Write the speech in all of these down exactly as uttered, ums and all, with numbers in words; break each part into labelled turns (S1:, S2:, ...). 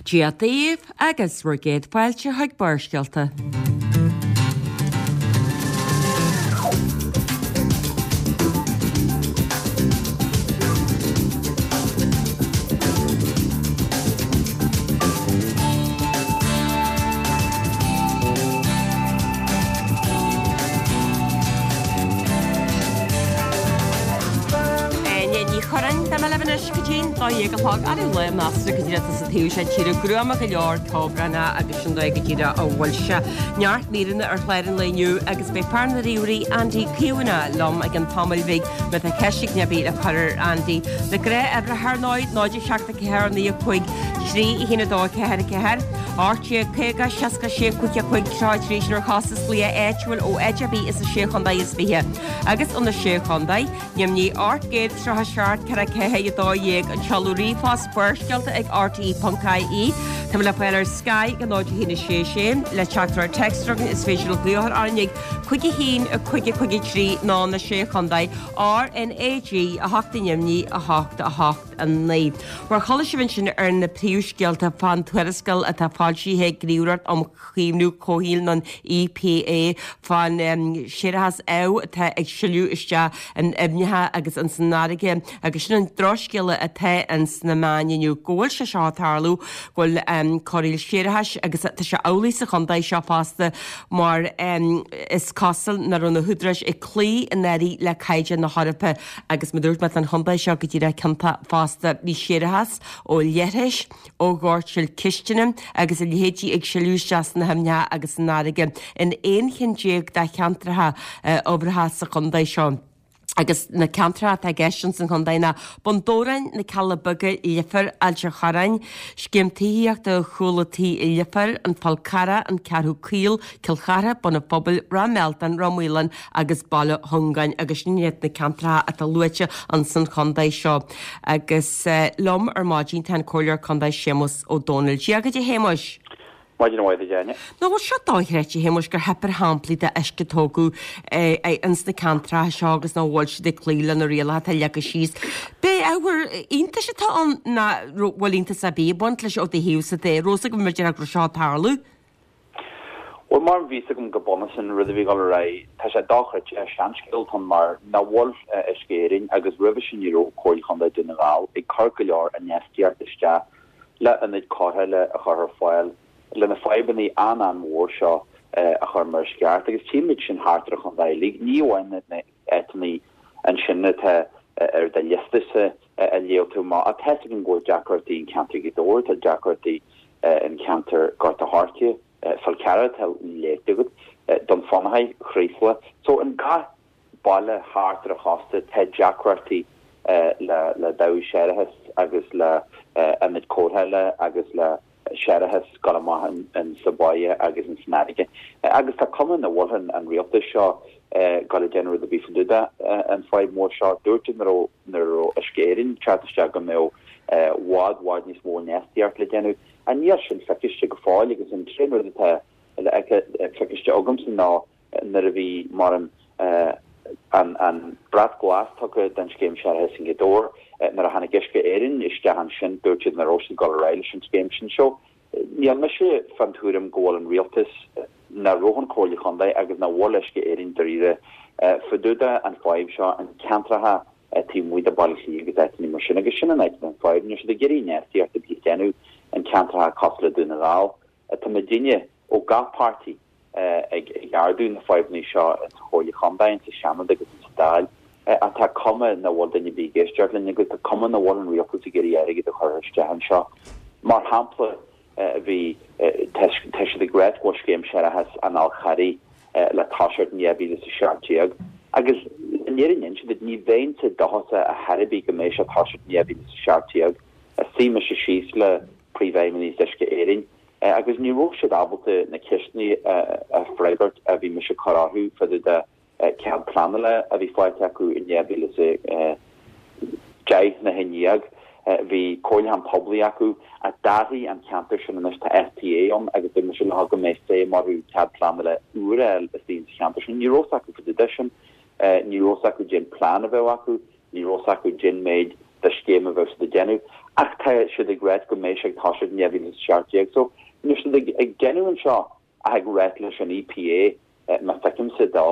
S1: Dia daoibh agus bhur gcéad fáilte chuig Barrscéalta. Áine Ní Churráin, tá mé libh anois go dtí'n dó dhéag a chlog ar an lá measartha go díreach sa taobh seo tíre gruama go leor ceobhránach agus sin dóigh go díreach a bhfuil sé. Neart míreanna ar chlár an lae inniu agus beidh fear na ríomhairí Andy Caomhánach liom i gcionn tamaill bhig má tá ceist éigin ar bith le cur ar Andy. Na gnáthuimhreacha ar ndóigh, náid a seacht a ceathair naoi a cúig trí a haon a dó a ceathair a ceathair, ocht déag caoga seasca sé cúig a cúig tríocha a trí sin ar chostas glaoch áitiúil ó áit ar bith is sé chontae is fiche agus ó na sé chontae, Ainmnigh ocht gcéad tríocha seacht ceithre ceathair a dó dhéag an seoladh ríomhphost Barrscéalta ag RTE ponc IE. Tá mé le fáil ar Sky go náid a haon a sé sé le teachtaireacht téacs chugainn is féidir le glaoch orainn ag cúig a haon a cúig a cúig a trí nó na sé chontae RNAG a hocht ainmnigh a hocht a hocht a naoi. Mar chuala sibh ansin ar na príomhscéalta fán tuarascáil atá foilsithe ag Gníomhaireacht um Chaomhnú Comhshaoil nó an EPA fán séarachas amh atá ag sileadh isteach in aibhneacha agus ins an fharraige agus sin an drochscéala atá ins na meáin inniu go bhfuil sé seo ag tarlú go bhfuil corraíl séarachais agus tá sé amhlaidh sa chontae seo fosta mar is cosúil nach raibh na húdaráis ag cloí i ndáiríre le caighdeán na hEorpa agus mar dúirt mé tá an chontae seo go díreach ciontach fosta bhí séarachas ó leithris ó dhoirteal cistine agus a leithéidí ag sileadh isteach sna haibhneacha agus san fharraige in aon cheann déag de cheantracha uimhreacha sa chontae seo. Agus na ceantracha atá i gceist ins an chontae ná Bun Dobhráin, na Cealla Beaga, Leifear, Ailt an Chorráin, Scéim Tithíochta Chúl an Tí i Leifear, An Fál Carrach, An Ceathrú Caol, Cill Chartha, Bun an Phobail, Ráth Mealtain, Ráth Maoláin agus Baile Chongáin agus sin iad na ceantracha atá luaite ins an chontae seo. Agus liom ar maidin tá an Comhairleoir Contae Séamus Ó Domhnaill. Dia dhuit a Shéamuis.
S2: Maidin mhaith duit, Áine.
S1: Nach bhfuil seo dochreidte, a Shéamuis, gur theip ar shamplaí de uisce a tógadh ins na ceantracha seo agus nach bhfuil siad ag cloí le na rialacha atá leagtha síos. B'é ábhar iontais atá ann ná bhfuil iontas ar bith ag baint leis ó do thaobhsa de. Raibh fhios agam mar déarfá go raibh seo ag tarlú.
S2: Bhuel, mar bhí fhios agam go bunúsach an rud a bhí ag dul ar aghaidh, tá sé dochreidte, seanscéal atá ann mar nach bhfuil Uisce Éireann agus roimhe sin ní raibh Comhairle Chontae Dhún na nGall ag cur go leor infheistíocht isteach le ionaid cóireála a chur ar fáil le na fadhbanna an-an-mhór seo a chur mar is ceart agus tchímid sin thart ar an chontae uilig, ní amháin na áiteanna ansin atá ar do liosta-sa a léigh tú amach ach tá fhios againn go bhfuil deacrachtaí in ceantar Ghaoth Dobhair, tá deacrachtaí in ceantar Gort a' Choirce, Fál Carrach atá léite agat, Dún Fionnachaidh, Chraoslaigh. So in gach baile thart ar an chósta tá deacrachtaí le le dabhach séarachais agus le ionaid cóireála agus le séarachas dul amach in sa bháighe agus in san fharraige. Agus tá cuma nach bhfuil an rialtas seo ag dul ag déanamh rud ar bith fá dtaobh de an fadhb mór seo. Dúirt siad nuair a nuair a raibh Uisce Éireann teacht isteach go mbeadh bhfad bhfad níos mó infheistíocht le déanamh. Ach níl sin feiciste go fóill agus an t-aon rud atá le feiciste agamsa ná nuair a bhí mar an an an brat glas tugtha don scéim séarachais i nGaoth Dobhair, nuair a tháinig Uisce Éireann isteach ansin dúirt siad nach raibh siad ag dul ar aghaidh leis an scéim sin. So níl mise fán tuairim go bhfuil an rialtas, nach raibh an Chomhairle Chontae agus nach bhfuil Uisce Éireann dáiríre fá dtaobh de an fadhb seo, an ceantracha taobh amuigh de Bhaile Átha Cliath agus áiteanna mar sin agus sin an áit atá an fadhb. Níl siad ag iarraidh infheistíocht ar bith a dhéanamh in ceantracha cosúil le Dún na nGall. Tá muidinne ó gach páirtí ag ardú na fadhbanna seo insa Chomhairle Chontae, insa Seanad agus insa Dáil ach tá cuma nach bhfuil duine ar bith ag éisteacht linn agus tá cuma nach bhfuil an rialtas ag iarraidh airgead a chur isteach anseo. Mar shampla, bhí, tá siad ag ráit go bhfuil scéim séarachais an Fháil Charraigh le toiseacht in dhá mhíle is a seacht déag agus an fhírinne a inse duit ní bheinnse dóchasach ar chor ar bith go mbeidh sé ag toiseacht in dhá mhíle is a seacht déag. Suigh mise síos le príomhfheidhmeannaigh Uisce Éireann agus ní raibh siad ábalta na ceisteanna a freagairt a bhí mise ag cur orthu fá dtaobh de cead pleanála a bhí faighte acu in dhá mhíle is a deich nó a haon déag. Bhí comhairliúchán poiblí acu ach d'athraigh an ceantar sin anois, tá SPA ann agus dúirt mise leo go mbeidh feidhm orthu cead pleanála úr a fháil istigh sa cheantar sin. Ní raibh fhios acu fá dtaobh de sin. Ní raibh fhios acu cén plean a bheadh acu. Ní raibh fhios acu cén méid de scéim a bheadh siad ag déanamh ach tá siad ag ráit go mbeidh sé ag toiseacht in dhá mhíle is a seacht déag so níl siad ag ag déanamh anseo ach ag ráit leis an EPA má feicimse dó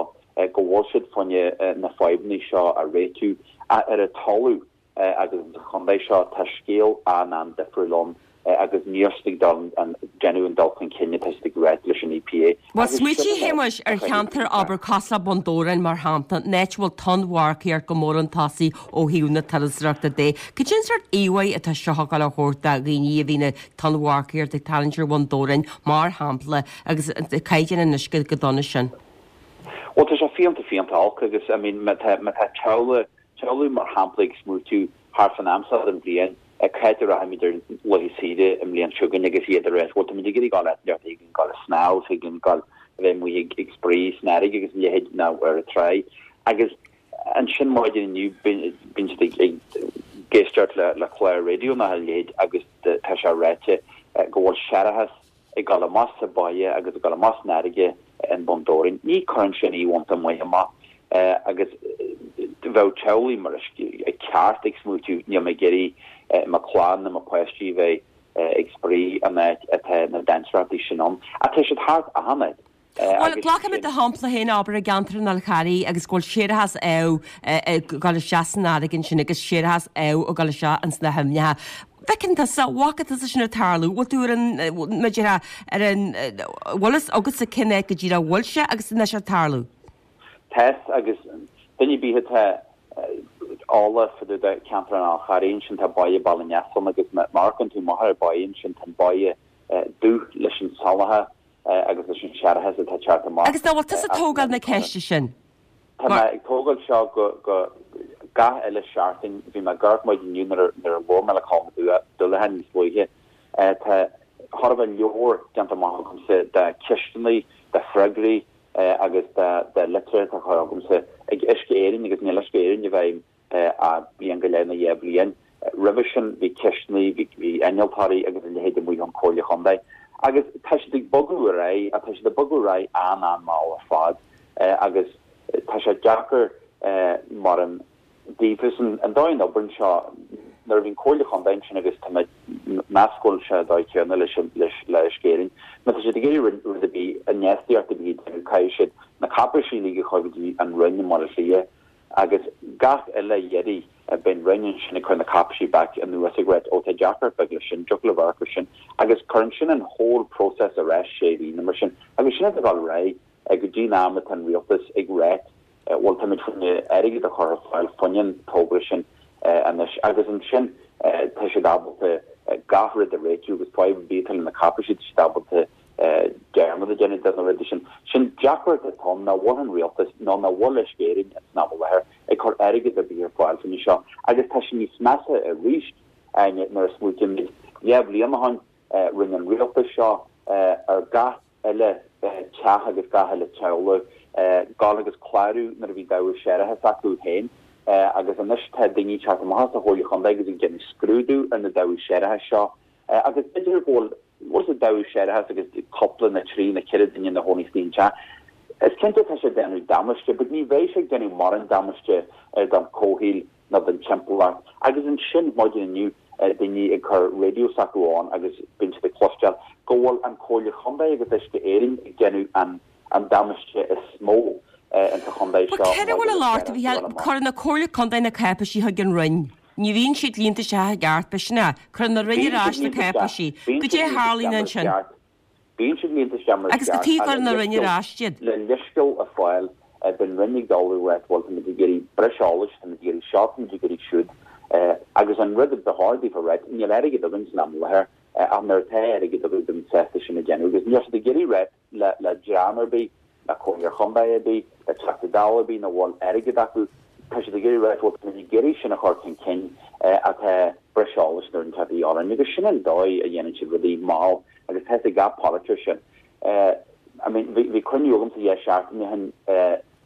S2: go bhfuil siad fá choinne na fadhbanna seo a réitiú ar an talamh agus sa chontae seo tá scéal an-an-difriúil ann agus níl siad ag dul an déanamh an dul chun cinn atá siad ag ráit leis an EPA.
S1: Bhuel, smaoitigh a Shéamuis ar cheantar abair cosúil le Bun Dobhráin mar shampla, an áit a bhfuil tonnmharcaíocht go mór chun tosaigh ó thaobh na turasóireachta de. Cad é an sórt íomhá atá seo ag dul a thabhairt do dhaoine a bhíonn ag tonnmharcaíocht ag tarraingt ar Bhun Dobhráin mar shampla agus caighdeán an uisce chomh dona sin?
S2: Bhuel tá sé fiánta fiánta olc agus I mean má tá má tá teaghlaigh teaghlaigh mar shampla ag smaoitiú thart fán am seo den bhliain cá háit a rachaimid ar laetha saoire i mbliain seo chugainn agus iad ag ráit bhuel táimid ag iarraidh dul áit inteacht ag dul ag snámh ag dul a bheith amuigh ag ag spraoi san fharraige agus a leithéid nó ar an tráigh agus ansin maidin inniu bíonn siad ag ag éisteacht le le clár raidió nó a leithéid agus tá sé ráite go bhfuil séarachas ag dul amach sa bhaile agus ag dul amach san fharraige in Bun Dobhráin. Ní chuireann sin íomhá maith amach agus bheadh teaghlaigh mar is ceart ag smaoitiú níl mé ag iarraidh mo chlann nó mo pháistí a bheith ag spraoi an áit atá na dainséarachtaí sin ann. Ach tá siad thart achan áit.
S1: Bhuel, glacfaimid do shampla féin, abair, i gceantar an Fhál Charraigh agus go bhfuil séarachas amh ag dul isteach san fharraige ansin agus séarachas amh ag dul isteach ins na haibhneacha. Bhfeiceann tusa, bhfaca tusa sin ag tarlú, bhfuil tú ar an, mar a déarfá, ar an, bhfuil fhios agatsa cén áit go díreach a bhfuil sé agus anois ag tarlú?
S2: Tá agus duine ar bith atá eolach fá dtaobh de cheantar an Fhál Charraigh ansin tá báighe Baile Neasáin agus má amharcann tú amach ar an báighe ansin tá an báighe dubh leis an salachar agus leis an séarachas atá ag teacht amach.
S1: Agus nach bhfuil tusa ag tógáil na ceiste sin?
S2: Tá mé ag tógáil seo go go gach uile seachtain. Bhí mé ag amharc maidin inniu nuair a labhair mé le Colm Ó Dúlacháin níos luaithe. Tá chóir a bheith leabhar déanta amach agamsa de cheisteanna, de freagraí agus de de litreacha atá curtha agamsa ag Uisce Éireann agus níl Uisce Éireann i bhfeidhm ach bliain go leith nó dhá bhliain. Roimhe sin bhí ceisteanna, bhí bhí innealtóirí agus a leithéid amuigh ón Chomhairle Chontae agus tá siad ag bogadh ar aghaidh ach tá siad ag bogadh ar aghaidh an-an-mhall ar fad agus tá sé deacair mar an daofa an dóigh a n-oibríonn seo nuair a bhíonn Comhairle Chontae ansin agus tá mé meas go bhfuil sé an dóigh céanna leis leis le Uisce Éireann má tá siad ag iarraidh rud ar bith infheistíocht ar bith a dhéanamh caithfidh siad na cáipéisí uilig a chur go dtí an Roinn i mBaile Átha Cliath agus gach uile iarraidh beidh an Roinn ansin ag cur na cáipéisí back anuas ag ráit ó tá deacracht beag leis sin dtiocfadh libh amharc air sin agus cuireann sin an whole process ar ais sé mhí nó mar sin agus sin atá ag dul ar aghaidh go dtí an am atá an rialtas ag ráit bhuel táimid chun airgead a chur ar fáil fá choinne an togra sin anois agus ansin tá siad ábalta gach rud a réitiú agus fadhb ar bith atá le na cáipéisí tá siad ábalta dearmad a dhéanamh de na rudaí sin. Sin deacracht atá ann nach bhfuil an rialtas nó nach bhfuil Uisce Éireann san am i láthair ag cur airgead ar bith ar fáil fá choinne seo agus tá sé níos measa arís nuair a smaoitímid dhá bhliain ó shin rinne an rialtas seo ar gach uile teach agus gach uile teaghlach dul agus clárú nuair a bhí dabhach séarachais acu féin agus anois tá daoine ag teacht amach as an Chomhairle Chontae agus ag déanamh scrúdú ar na dabhaigh séarachais seo agus b'fhéidir go bhfuil bhfuil sa dabhach séarachais agus cúpla nó trí nó ceithre duine ina gcónaí sa teach. Is cinnte tá sé ag déanamh damáiste, but ní bheidh sé ag déanamh mórán damáiste don chomhshaol nó don timpeallacht. Agus ansin maidin inniu daoine ag cur raidió s'acu ann agus bíonn siad ag cloisteáil go bhfuil an Comhairle Chontae agus Uisce Éireann ag déanamh an an damáiste is mó insa chontae
S1: seo. Céard a bhfuil a lorg, a Mhícheáil? Cuireann an Comhairle Contae na cáipéisí chuig an Roinn. Ní bhíonn siad líonta isteach i gceart, b'shin é. Cuireann an Roinn ar ais na cáipéisí. Goidé a tharlaíonn ansin?
S2: Bíonn siad líonta isteach mar is
S1: Agus cad chuige a gcuireann an Roinn ar ais iad?
S2: Le leithscéal a fháil, bíonn an Roinn ag dul ag ráit bhuel táimid ag iarraidh breis eolais, táimid ag iarraidh seo, táimid ag iarraidh siúd. Agus an rud a ba chóir daofa a ráit, níl airgead againn san am i láthair, ach nuair atá airgead againn beimid sásta sin a dhéanamh. Agus níl siad ag iarraidh ráit le le dream ar bith, le Comhairleoir Chontae ar bith, le Teachta Dála ar bith nach bhfuil airgead acu. Tá siad ag iarraidh ráit bhuel táimid ag iarraidh sin a chur chun cinn ach tá breis eolais nó rud inteacht de dhíth orainn agus sin an dóigh a dhéanann siad rudaí mall agus tá a fhios ag gach polaiteoir sin. I mean bhí bhí cruinniú agamsa dhá seachtain ó shin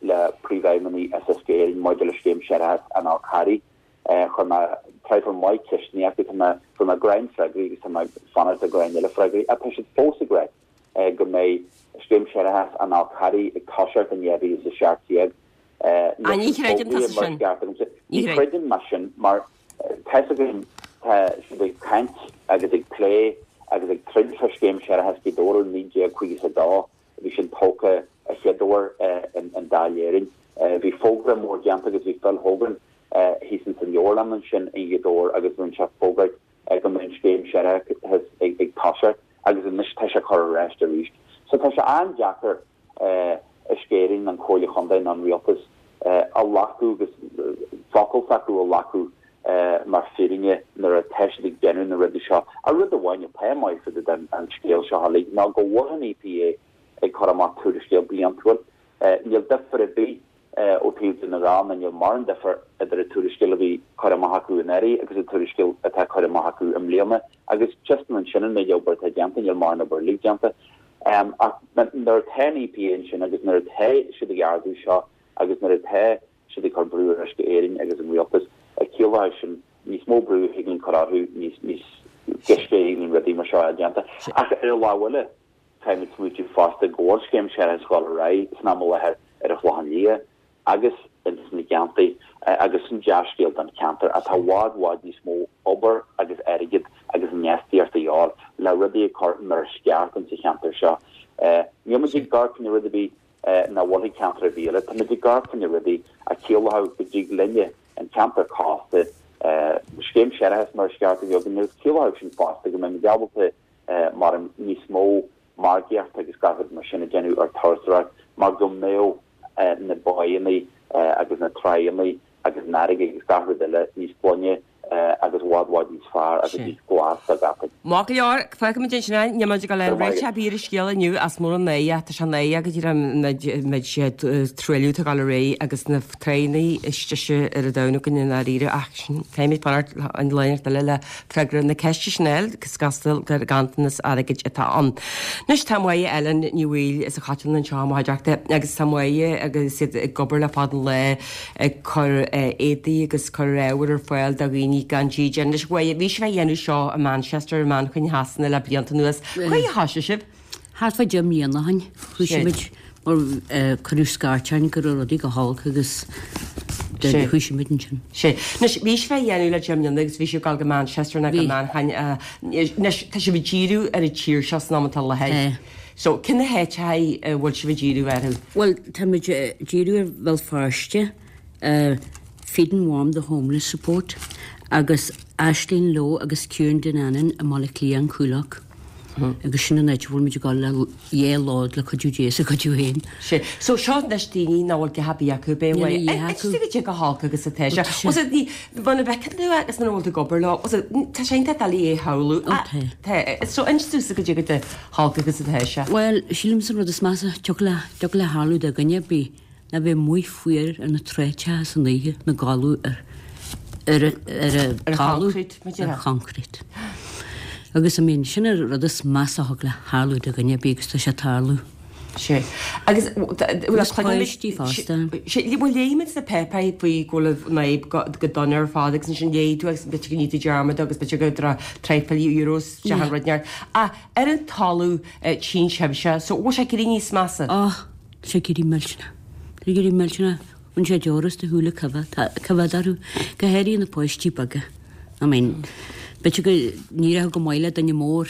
S2: le príomhfheidhmeannaigh as Uisce Éireann maidir le scéim séarachais an Fháil Charraigh. Chuir mé traidhfil maith ceisteanna acu, tá mé fuair mé greim freagraí agus tá mé ag fanacht ar greim eile freagraí ach tá siad fós ag ráit go mbeidh Scéim Séarachais an Fháil Charraigh ag toiseacht in dhá mhíle is a seacht déag.
S1: Ah, ní chreideann tusa sin.
S2: Ní chreidim mé sin mar Tá's againn tá siad ag caint agus ag plé agus ag troid fá scéim séarachais Ghaoth Dobhair naoi déag caoga is a dó a bhí sin tógtha a chéad uair in Dáil Éireann. Bhí fógra mór déanta agus bhí Phil Hogan thíos ins an leabharlann ansin i nGaoth Dobhair agus rinne sé fógairt go mbeadh an scéim séarachais ag toiseacht agus anois tá sé curtha ar ais arís. So tá sé an-deacair Uisce Éireann, an Chomhairle Chontae nó an Rialtas a ghlacadh agus focal s'acu a ghlacadh mar fírinne nuair atá siad ag déanamh na rudaí seo. Ach rud amháin atá maith fá dtaobh den scéal seo uilig ná go bhfuil an EPA ag cur amach tuarascéal bliantúil. Níl difear ar bith ó thaobh Dhún na nGall ná níl mórán difear idir an tuarascéal a bhí curtha amach acu anuraidh agus an tuarascéal atá curtha amach acu i mbliana agus just ansin an méid obair atá déanta, níl mórán obair uilig déanta. Ach nuair atá an EPA ansin agus nuair atá siad ag ardú seo agus nuair atá siad ag cur brú ar Uisce Éireann agus an rialtas, ciallóidh sin níos mó brú a thig linn cur orthu, níos níos gaiste a thig linn rudaí mar seo a déanta. Ach ar an lámh eile, caithfimid smaoitiú fosta go bhfuil scéim séarachais ag dul ar aghaidh san am i láthair ar an Chlochán Liath agus ins na Geantaí agus sin dea-scéal don cheantar ach tá i bhfad bhfad níos mó obair agus airgead agus infheistíocht a dhíobháil le rudaí a chur mar is ceart ins an cheantar seo. Níl muid ag amharc fá choinne rud ar bith nach bhfuil ceantar ar bith eile, tá muid ag amharc fá choinne rudaí a chiallódh go dtig linne an ceantar cósta, scéim séarachais mar is ceart a bheith againn agus ciallódh sin fosta go mbeimid ábalta mar níos mó margaíocht agus gach rud mar sin a dhéanamh ar turasóireacht mar go mbeadh na báigheanna agus na tráigheanna agus an fharraige agus gach rud eile níos glaine agus i bhfad bhfad níos fearr agus níos glas dá gcaithfeadh.
S1: Maith go leor, fágfaimid ansin é, níl muid ag dul aon réiteach ar bith ar an scéal inniu as mór an náire, tá sé náireach go dtí an méid truailliú atá ag dul ar aghaidh agus na tráigheanna is deise ar an domhan againn i ndáiríre ach sin, caithfimid fanacht an lá eile le freagra na ceiste sin a fháil agus gasta gur ganntanas airgid atá ann. Anois tá Máire Ellen Ní Bhaoill as an Choiteann anseo i mo chuideachta agus tá Máire agus iad ag obair le fada an lá ag cur éadaí agus cur ábhair ar fáil do dhaoine gan dídean. Anois Mháire, bhí sibh á dhéanamh seo i Manchester, i Manchain Shasana le blianta anuas. Cá huair a thoisigh sibh?
S3: Thart fá deich mbliana ó shin, thoisigh muid mar cuireadh scairt orainn go raibh rudaí go holc agus thoisigh muid ansin.
S1: Sé. Anois, bhí sibh á dhéanamh le deich mbliana agus bhí sibh ag dul go Manchester nó go Manchain. Anois, tá sibh ag díriú ar an tír seo san am atá i láthair. So, cé na háiteacha a bhfuil sibh ag díriú orthu?
S3: Bhuel, táimid ag díriú ar Bhéal Feirste, Feed and Warm the Homeless Support agus Aisling Lowe agus Ciarán Dinanan i mBaile Átha Cliath, an Coolock. Agus sin an áit a bhfuil muid ag dul le dhá lá le cuidiú Dé is a cuidiú féin.
S1: Sé. So seo anois daoine nach bhfuil a dhath ar bith acu, b'é
S3: Níl a dhath
S1: Inis
S3: acu.
S1: dúinn goidé chomh holc agus atá sé.
S3: Ó tá sé.
S1: Was it ní, muna bhfeiceann tú é agus muna bhfuil tú ag obair leo, was it, tá sé iontach doiligh é a shamhlú.
S3: Ó tá.
S1: Tá. So inis domhsa goidé chomh holc agus atá sé.
S3: Bhuel, sílimse an rud is measa, tiocfadh le, tiocfadh le tharlú do dhuine ar bith ná bheith amuigh fuar ar na tráighteacha san oíche ina gcodladh ar ar ar
S1: Ar
S3: talamh
S1: choncrete, muid
S3: ar choncrete. Agus I mean sin an rud is measa a thig le tharlú do dhuine ar bith agus tá sé ag tarlú.
S1: Sé. Agus
S3: Agus páistí fosta.
S1: Sé, bhuel léigh muid sna páipéirí faoi go bhfuil an fhadhb go go dona ar fad agus ansin léigh tú agus b'fhéidir go ndéanfaidh tú dearmad agus b'fhéidir go dtra traidhfil euros isteach an rud neart. Ach ar an talamh tchíonn sibhse, so bhfuil sé ag éirí níos measa?
S3: Ó, tá sé ag éirí millteanach. Tá sé ag éirí millteanach. Bhain sé deora as do shúile coimhéad orthu, go háirithe na páistí beaga. I mean, b'fhéidir go n-éireodh go maith le duine mór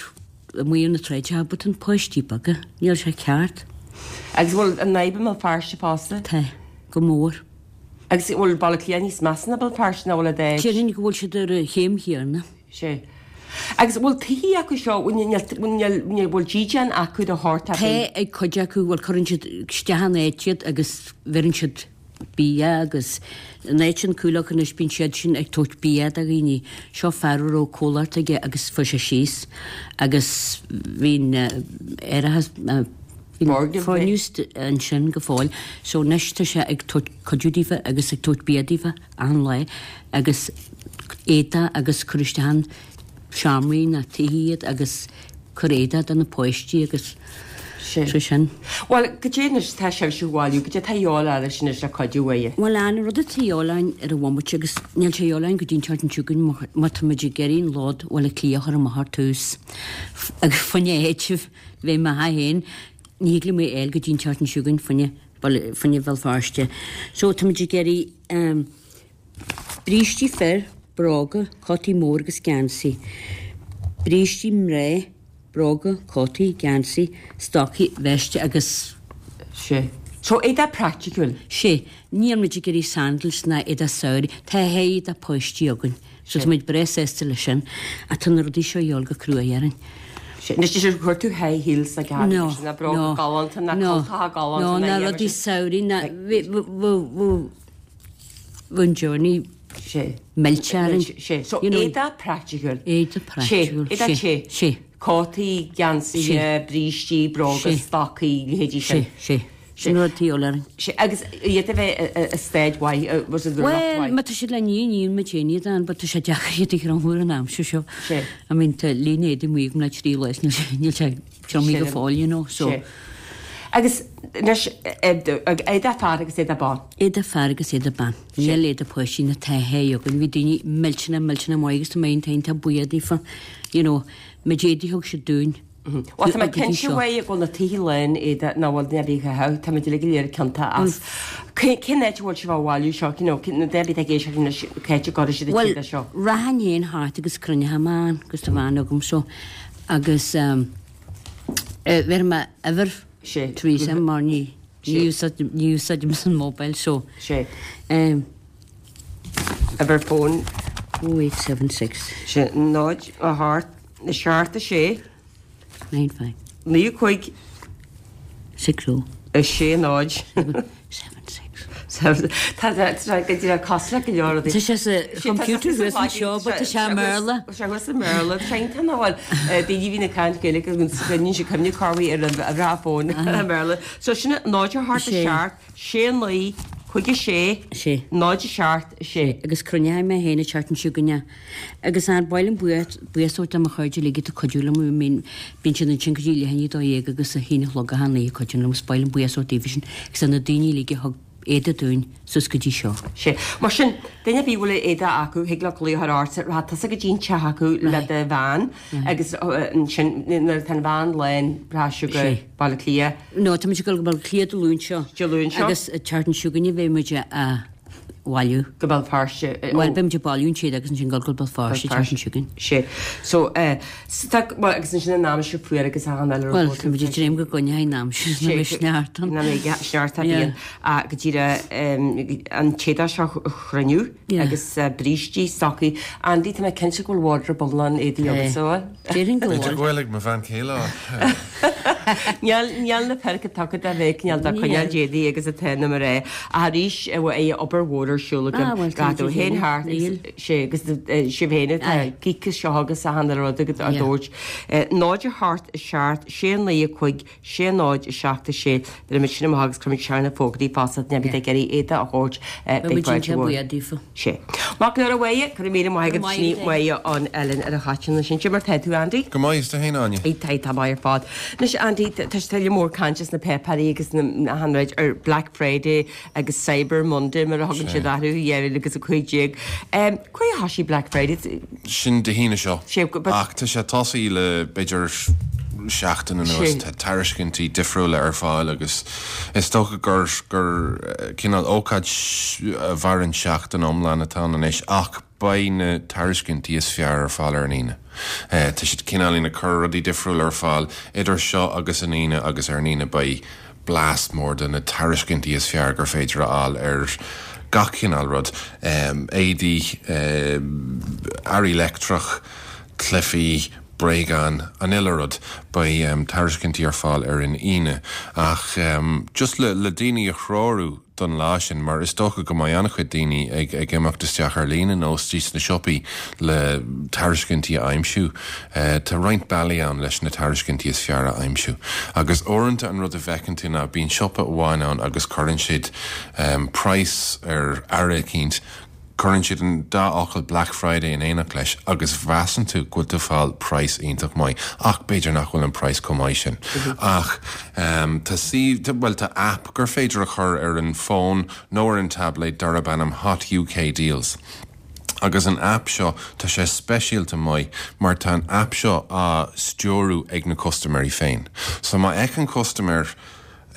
S3: amuigh ar na tráighteacha, but na páistí beaga, níl sé ceart.
S1: Agus bhfuil an fhadhb i mBéal Feirste fosta?
S3: Tá, go mór.
S1: Agus bhfuil Baile Átha Cliath níos measa ná Béal Feirste nó bhfuil a dtéid?
S3: Déarfainn go bhfuil siad ar an chéim chéanna.
S1: Sé. Agus bhfuil tithe acu seo, níl, bhfuil dídean acu de shórt ar
S3: Tá ag cuid acu, bhuel cuireann siad isteach in áit iad agus bheireann siad bia agus in áit an Coolock anois bíonn siad sin ag tabhairt bia do dhaoine. Seo fear a raibh comhlacht aige agus fuair sé síos agus bhí'n aerachas, bhí'n foirgneamh ansin go fóill so anois tá sé ag tabhairt cuidiú daofa agus ag tabhairt bia daofa achan lá agus éadaí agus cur isteach in seomraí na tithe iad agus cur éadaí do na páistí agus
S1: Sé
S3: sin.
S1: Bhuel, goidé anois atá sibhse a bhailiú, goidé atá a dhíobháil oraibhse anois le cuidiú uaidh?
S3: Bhuel, an rud atá a dhíobháil orainn ar an bhomaite agus níl sé a dhíobháil orainn go dtí an tseachtain seo chugainn mar tá muid ag iarraidh an lód Bhaile Átha Cliath a chur amach ar tús agus fá choinne áiteamh bheith mo theach féin ní thig liom é a fháil go dtí an tseachtain seo chugainn fá choinne fá choinne Bhéal Feirste. So tá muid ag iarraidh brístí fir, Bróga, cótaí mór agus geansaí. Brístí mná, bróga, cótaí, geansaí, stocaí, veiste agus.
S1: Sé. So éadaí praiticiúil.
S3: Sé. Níl muid ag iarraidh sandals ná éadaí samhraidh. Tá éadaí páistí againn. So tá muid breá sásta leis sin. Ach tá na rudaí seo a dhíobháil go crua orainn.
S1: Sé. Anois is chuir tú high heels na
S3: No,
S1: cearta na bróga
S3: no,
S1: galánta na
S3: no,
S1: cultacha galánta
S3: no,
S1: na
S3: na
S1: dhéanamh
S3: rudaí
S1: sin.
S3: samhraidh na bhí an journey
S1: Sé.
S3: millte orainn.
S1: Sé. So
S3: You know,
S1: éadaí praiticiúil.
S3: Éadaí praiticiúil.
S1: Sé. Éadaí
S3: Sé.
S1: te.
S3: Sé.
S1: Cótaí, geansaithe,
S3: Sé.
S1: brístí, bróga,
S3: Sé.
S1: stocaí, leithéidí
S3: Sé,
S1: sin.
S3: sé. Sin rud a dhíobháil orainn.
S1: Sé. Agus iad a bheith i staid mhaith, was it the
S3: Well,
S1: mhaith?
S3: má tá siad le ní ní ma déine dan, but tá sé deacair iad a thriomú an aimsir seo.
S1: Sé.
S3: I mean, tá líne éadaí amuigh agam le trí lá, níl sé- níl sé triomaithe go
S1: Sé.
S3: fóill, you know, so.
S1: Sé. Agus anois éadaí fear agus éadaí ban.
S3: Éadaí fear agus éadaí ban. Níl éadaí páistí na taithí againn. Bhí daoine millteanach millteanach maith agus tá mé iontach buíoch daofa, you know, na héadaí a thug siad dúinn.
S1: Well, tá mé
S3: Go dtí
S1: cinnte
S3: seo.
S1: uaidh go bhfuil na tithe lán éadaí nach bhfuil duine ar bith a chaitheamh, tá muid uilig go léir ciontach as. Cén áit a bhfuil sibh á bhailiú seo, you know, na daoine ag éisteacht anois, cá háit a gcuirfidh siad an
S3: Well,
S1: t-éadach seo?
S3: rachainn féin thart agus cruinneoidh mé ann agus tá veain agam so agus um, eh, bheir mé uimhir
S1: Sé.
S3: Teresa mar ní
S1: Sé.
S3: ní úsáidim an mobile so.
S1: Sé.
S3: Um,
S1: Uimhir fóin.
S3: oh eight seven six.
S1: Sé náid a hocht a seacht a sé.
S3: Nine five.
S1: Naoi cúig.
S3: Six oh.
S1: A sé náid.
S3: Seven six.
S1: Seven. Tá tá go dtí cosúil le go leor
S3: Tá sé sa computer thuas anseo, but tá sé i mBéarla.
S1: Sé thuas i mBéarla. Tá sé iontach nach bhfuil daoine bhí na caint Gaeilge agus níl sé cuimhne carhaí ar an a fón i mBéarla. So sin náid a hocht a
S3: Sé.
S1: seacht, sé naoi, cúig a sé,
S3: Sé.
S1: náid a seacht a sé.
S3: Agus cruinneoidh mé féin an tseachtain seo chugainn. Agus an bailm buíochas do mo chairde uilig atá ag cuidiú liom, I mean, bíonn siad ansin go dtí leath i ndiaidh a dó dhéag agus a haon a chlog achan lá ag cuidiú liom, is bailm buíochas daofa sin agus na daoine uilig a thug éadaí dúinn suas go dtí seo.
S1: Sé. Mar sin, duine ar bith a bhfuil éadaí acu, thig leo glaoch a chur ort, rachaidh tusa go dtí an teach acu le do veain agus ansin nuair atá an veain lán rachaidh sibh go
S3: Sé.
S1: Baile Átha Cliath.
S3: No, tá muid ag dul go Baile Átha Cliath Dé Luain seo.
S1: Dé Luain seo.
S3: Agus an tseachtain seo chugainn beidh muid á bhailiú.
S1: Go Béal Feirste.
S3: Bhuel, beidh muid ag bailiú an t-éadach agus ansin dul go Béal Feirste an tseachtain seo chugainn.
S1: Sé. So, eh, so tá, well, agus ansin an aimsir fuar agus achan eile
S3: Bhuel, tá muid ag dréim go gcoinneoidh an aimsir na mbeidh sneachta.
S1: Na mbeidh sneachta
S3: Yeah.
S1: bíonn go dtí an t-éadach seo a chruinniú
S3: Yeah.
S1: agus eh, brístí, stocaí. Andy, tá mé cinnte go bhfuil wardrobe iomlán éadaí
S3: Eh,
S1: agat so.
S3: Déarfainn go
S4: B'fhéidir
S3: bhfuil.
S4: go bhfuil ag mo bhean chéile.
S1: Níl níl na peirce taca a bheith níl dá coinneáil d'éadaí agus atá na mar é. Arís é obair mhór ar siúl
S3: Ah, bhuel, tá
S1: Rado
S3: muid
S1: haon
S3: ag
S1: thart
S3: Níl.
S1: sé agus sibh féin
S3: Aye.
S1: geek seo agus a hanna rud agus a
S3: Yeah.
S1: dúirt. Náid a hocht a seacht sé naoi a cúig sé náid a seacht a sé de mit sin agus cruim seanna fógraí fása ne bhí ag iarraidh éadaí a thabhairt
S3: Beidh muid iontach buíoch daofa.
S1: Sé. Mac nuair a bhaile chu mí maith
S3: Go maith
S1: ní
S3: agat.
S1: mhaith an Ellen ar a chatin sin sin mar tá tú Andy?
S4: Go maith is tú féin Áine.
S1: Tá tá maith ar fad. Anois Andy tá tuilleadh mór cainte sna páipéirí agus na hanraid ar Black Friday agus Cyber Monday mar a thugann
S4: Sé.
S1: siad orthu dhá mhíle agus a cúig déag. Cé há sí Black Friday?
S4: Sin Dé hAoine seo.
S1: Sé, but-
S4: Ach tá sé tosaithe le b'fhéidir seachtain anuas
S1: Sé.
S4: tá tairiscintí difriúla ar fáil agus is dócha gur gur eh, cineál ócáid a mhaireann seachtain iomlán atá ann anois ach beidh na tairiscintí is fearr ar fáil ar an Aoine. Eh, Tá siad cineál ag cur rudaí difriúla ar fáil idir seo agus an Aoine agus ar an Aoine beidh blast mór de na tairiscintí is fearr gur féidir a fháil ar gach cineál rud. Um, éadaí, um, earraí leictreach, cluichí, bréagáin, an uile rud beidh um, tairiscintí ar fáil ar an Aoine ach um, just le, le daoine a threorú don lá sin mar is dócha go mbeidh an-chuid daoine ag ag imeacht isteach ar líne nó istigh sna siopaí le tairiscintí a aimsiú. Uh, tá roinnt bealaí ann leis na tairiscintí is fearr a aimsiú. Agus uaireanta an rud a bhfeiceann tú ná bíonn siopa amháin ann agus cuireann siad um, price ar earra eicínt cuireann siad an dá fhocal Black Friday in éineacht leis agus measann tú go bhfuil tú ag fáil price iontach maith ach b'fhéidir nach bhfuil an price chomh maith sin. Ach um, tá sí well tá app gur féidir a chur ar an fón nó ar an tablet darb ainm Hot UK Deals. Agus an app seo tá sé speisialta maith mar tá an app seo á stiúradh ag na custaiméirí féin. So má fheiceann custaiméir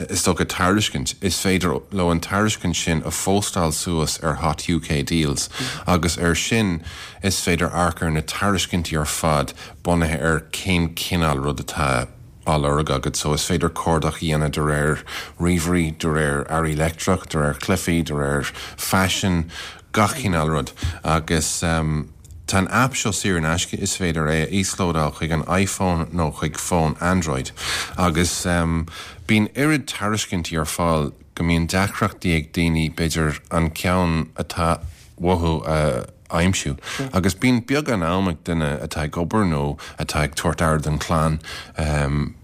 S4: is dócha tairiscint, is féidir leo an tairiscint sin a phóstáil suas ar Hot UK Deals agus ar sin is féidir amharc ar na tairiscintí ar fad bunaithe ar cén cineál rud atá á lorg agat so is féidir cuardach a dhéanamh de réir ríomhairí, de réir earraí leictreach, de réir cluichí, de réir faisin, gach cineál rud agus um, Tá an app seo saor in aisce is féidir é a íoslódáil chuig an iPhone nó chuig fón Android agus um, bíonn oiread tairiscintí ar fáil go mbíonn deacrachtaí ag daoine b'fhéidir an ceann atá uathu a aimsiú. Agus bíonn beagán am ag duine atá ag obair nó atá ag tabhairt aire don chlann um,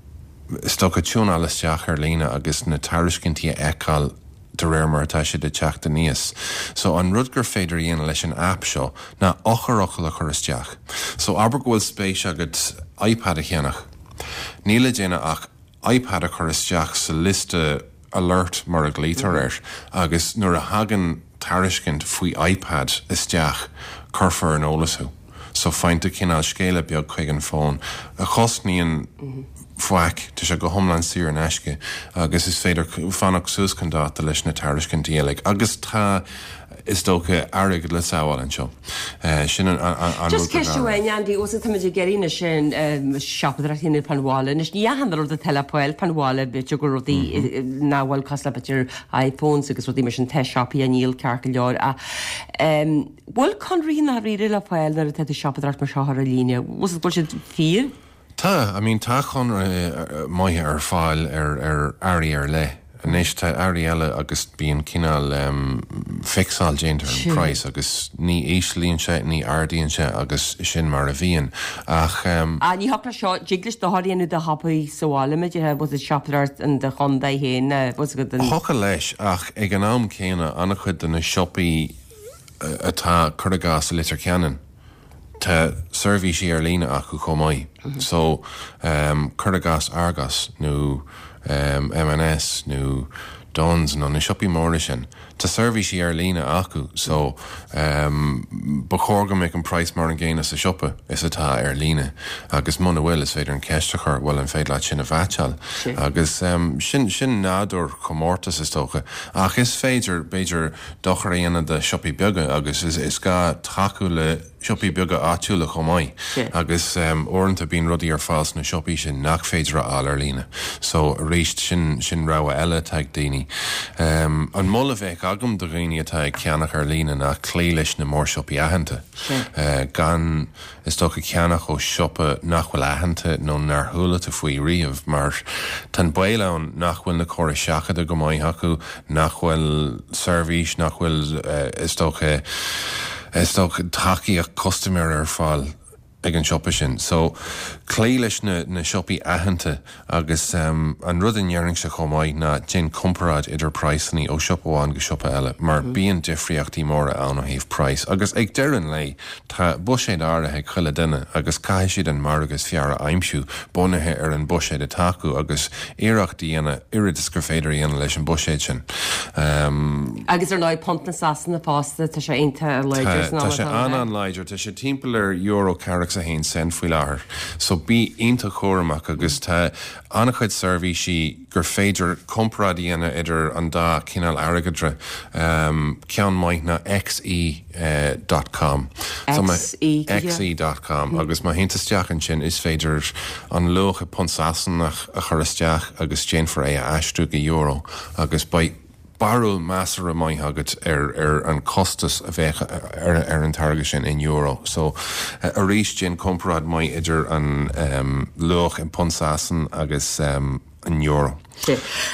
S4: is dócha tiúnáil isteach ar líne agus na tairiscintí a fheiceáil de réir mar atá siad ag teacht aníos. So an rud gur féidir a dhéanamh leis an app seo ná eochairfhocal a chur isteach. So abair go bhfuil spéis agat iPad a cheannach. Níl le déanamh ach iPad a chur isteach sa liosta alert mar a ghlaotar air agus nuair a thagann tairiscint faoi iPad isteach cuirfear ar an eolas thú. So faigheann tú cineál scéala beag chuig an fón a chosnaíonn faic tá sé go hiomlán saor in aisce agus is féidir fanacht suas chun dáta leis na tairiscintí uilig agus tá is dócha airgead le sábháil anseo. Uh, sin an, an, an
S1: Just ceist amháin Andy os tá ag iarraidh sin siopadóireacht a dhéanamh fán bhaile, Anois ní achan rud atá le fáil fán bhaile b'fhéidir go rudaí nach bhfuil cosúil le b'fhéidir iPhones agus rudaí mar sin tá siopaí a níl ceart go leor a bhfuil conarthaí dáiríre le fáil nuair atá tú siopadóireacht mar seo ar líne, bhfuil siad fíor?
S4: Tá, I mean tá conarthaí maithe ar fáil ar ar earraí ar leith. Anois tá earraí eile agus bíonn cineál um, fixáil déanta ar an price agus ní íslíonn sé ní ardaíonn sé agus sin mar a bhíonn ach um,
S1: A ní hachla seo jiglis doáíonú de hapaí sáile was it siopadóireacht in do chontae féin was go den
S4: Thiocfadh leis ach ag an am céanna an-chuid de na siopaí atá cuir i gcás i Leitir Ceanainn. Tá seirbhísí ar líne acu chomh maith. Mm -hmm. So um, cuir i gcás Argos nó um, M&S nó Dunnes nó na siopaí móra sin. Tá seirbhísí ar líne acu, so um, ba chóir go mbeadh an price mar an gcéanna sa siopa is atá ar líne agus muna bhfuil is féidir an ceist a chur bhfuil an féidir leat sin a mheaitseáil. Agus um, sin sin nádúr comórtas is dócha ach is féidir b'fhéidir dochar a dhéanamh do siopaí beaga agus is, is gá tacú le siopaí beaga áitiúla chomh maith agus um, uaireanta bíonn rudaí ar fáil sna siopaí sin nach féidir a fháil ar líne. So arís sin sin rogha eile atá ag daoine. Um, an moladh a bheadh agam do dhaoine atá ag ceannach ar líne ná cloí leis na mórshiopaí aitheanta. Uh, gan is dócha ceannach ó siopa nach bhfuil aitheanta nó nár chuala tú faoi riamh mar tá baol ann nach bhfuil na córais seachadta go maith acu nach bhfuil seirbhís nach bhfuil uh, is dócha is dócha tacaíocht custaiméir ar fáil ag an siopa sin. So cloí leis na, na siopaí aitheanta agus um, an rud a ndéarfainnse chomh maith ná déan comparáid idir praghsanna ó siopa amháin go siopa eile, mar mm. bíonn difríochtaí móra ann ó thaobh price. Agus ag deireadh an lae tá buiséad áirithe ag chuile duine agus caithfidh siad an margadh is fearr a aimsiú bunaithe ar an buiséad atá acu agus iarracht a dhéanamh oiread is gur féidir a dhéanamh leis an buiséad sin.
S1: Um, agus ar ndóigh punt na Sasana fosta tá sé iontach láidir
S4: Tá sé an-an-láidir, tá sé timpeall ar euro ceathracha a haon cent faoi láthair. So bí iontach cúramach agus tá an-chuid seirbhísí gur féidir comparáid a dhéanamh idir an dá cineál airgeadra um, ceann maith ná xe uh, dot com.
S1: XE,
S4: xe dot com mm. agus má théann tú isteach ansin is féidir an luach i punt Sasanach a chur isteach agus déanfar é a aistriú go euro agus beidh barúil measartha maith agat ar ar an costas a bheadh ar, ar an táirge sin in euro. So uh, arís déan comparáid maith idir an um, luach in punt Sasan agus um, an euro.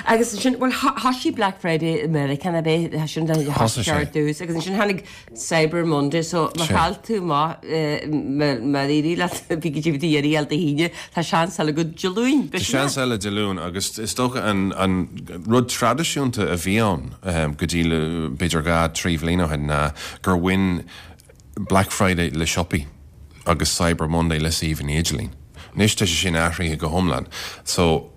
S1: Agus sin well thosaigh Black Friday America na bé sin
S4: Thosaigh sé.
S1: dús agus sin tháinig Cyber Monday so má chaill tú má má éirí le bhí go dtí Dé hAoine tá seans eile go Dé Luain.
S4: Tá seans eile Dé Luain agus is dócha an, an rud traidisiúnta a bhí ann um, go dtí le b'fhéidir dhá trí bhliain ó shin ná gur bhain Black Friday le siopaí agus Cyber Monday le suíomhanna idirlín. Anois tá sé sin athraithe go hiomlán. So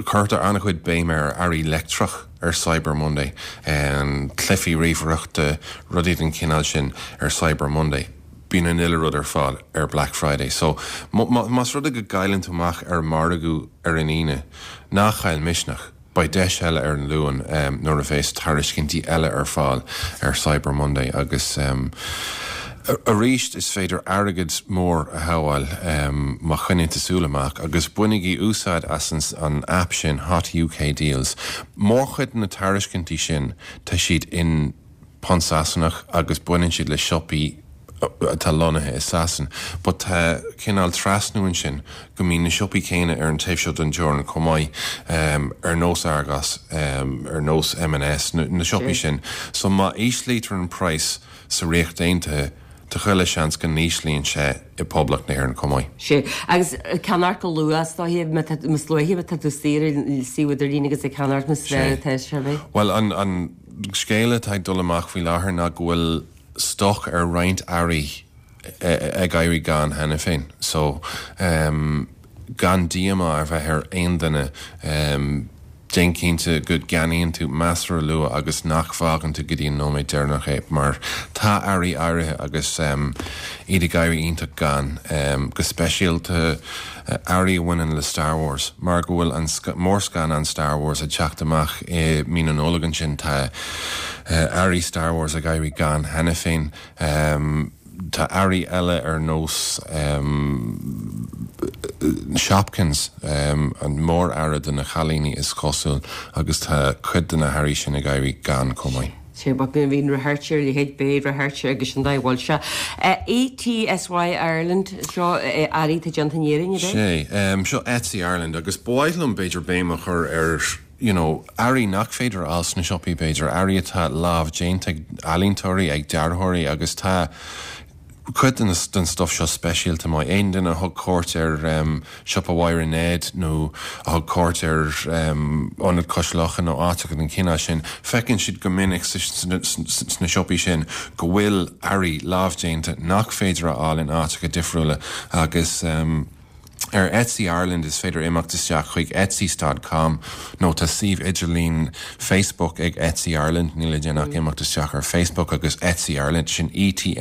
S4: cuirtear an-chuid béim ar earraí leictreach ar Cyber Monday, um, cluichí ríomhaireachta rudaí den chineál sin ar Cyber Monday. Bíonn an uile rud ar fáil ar Black Friday. So más rud é go gcailleann tú amach ar margadh ar an Aoine, ná caill misneach. Beidh deis eile ar an Luan nuair a bheas tairiscintí eile ar fáil ar Cyber Monday agus arís is féidir airgead mór a shábháil má choinníonn tú súil amach agus bainigí úsáid as an app sin Hot UK Deals. Mórchuid na tairiscintí sin tá siad in punt Sasanach agus baineann siad le siopaí atá lonnaithe i Sasain. But tá cineál trasnú ansin go mbíonn na siopaí céanna ar an taobh seo den teorainn chomh maith um, ar nós Argos, um, ar nós M and S, na, na siopaí sin. So má íslítear an price sa Ríocht Aontaithe, tá chuile seans go n-íslíonn sé i Poblacht na hÉireann chomh maith.
S1: Sea, agus ceannacht go luath, is dóiche, más luaithe atá tú saor ar an suíomh idirlín agus ag ceannacht níos fearr atá sé.
S4: Bhuel, an, an scéal atá ag dul amach faoi láthair ná go bhfuil stoc ar roinnt earraí ag éirí gann cheana féin. So, um, gan díomá a bheith ar aon duine, um, déan cinnte go gceannaíonn tú measartha luath agus nach bhfágann tú go dtí an nóiméad deireanach é, mar tá earraí áirithe agus um, iad ag éirí iontach gann, um, go speisialta earraí a bhaineann le Star Wars, mar go bhfuil an mórscannán Star Wars ag teacht amach i mí na Nollag ansin, tá earraí Star Wars ag éirí gann cheana féin. Tá earraí eile ar nós Shopkins, an mór-earra do na cailíní is cosúil, agus tá cuid de na hearraí sin ag éirí gann chomh maith.
S1: Sé but bíonn bhíonn radharc ar leithéid beidh radharc agus an dá bhfuil sé. ETSY Ireland, seo earraí atá déanta in Éirinn, ab
S4: é? Sé, seo Etsy Ireland agus ba mhaith liom b'fhéidir béim a chur ar you know, earraí nach féidir a fháil sna siopaí b'fhéidir, earraí atá lámh déanta ag ealaíontóirí, ag dearthóirí agus tá cuid den den stuff seo speisialta maith. Aon duine a thug cuairt ar siopa Mháire Ned nó a thug cuairt ar Ionad Cois Locha nó áiteacha den chineál sin, feiceann siad go minic sna siopaí sin go bhfuil earraí lámhdéanta nach féidir a fháil in áiteacha difriúla agus Ar Etsy Ireland is féidir imeacht isteach chuig etsy dot com nó tá suíomh idirlín Facebook ag Etsy Ireland, níl le déanamh ach imeacht isteach ar Facebook agus Etsy Ireland, sin ETSY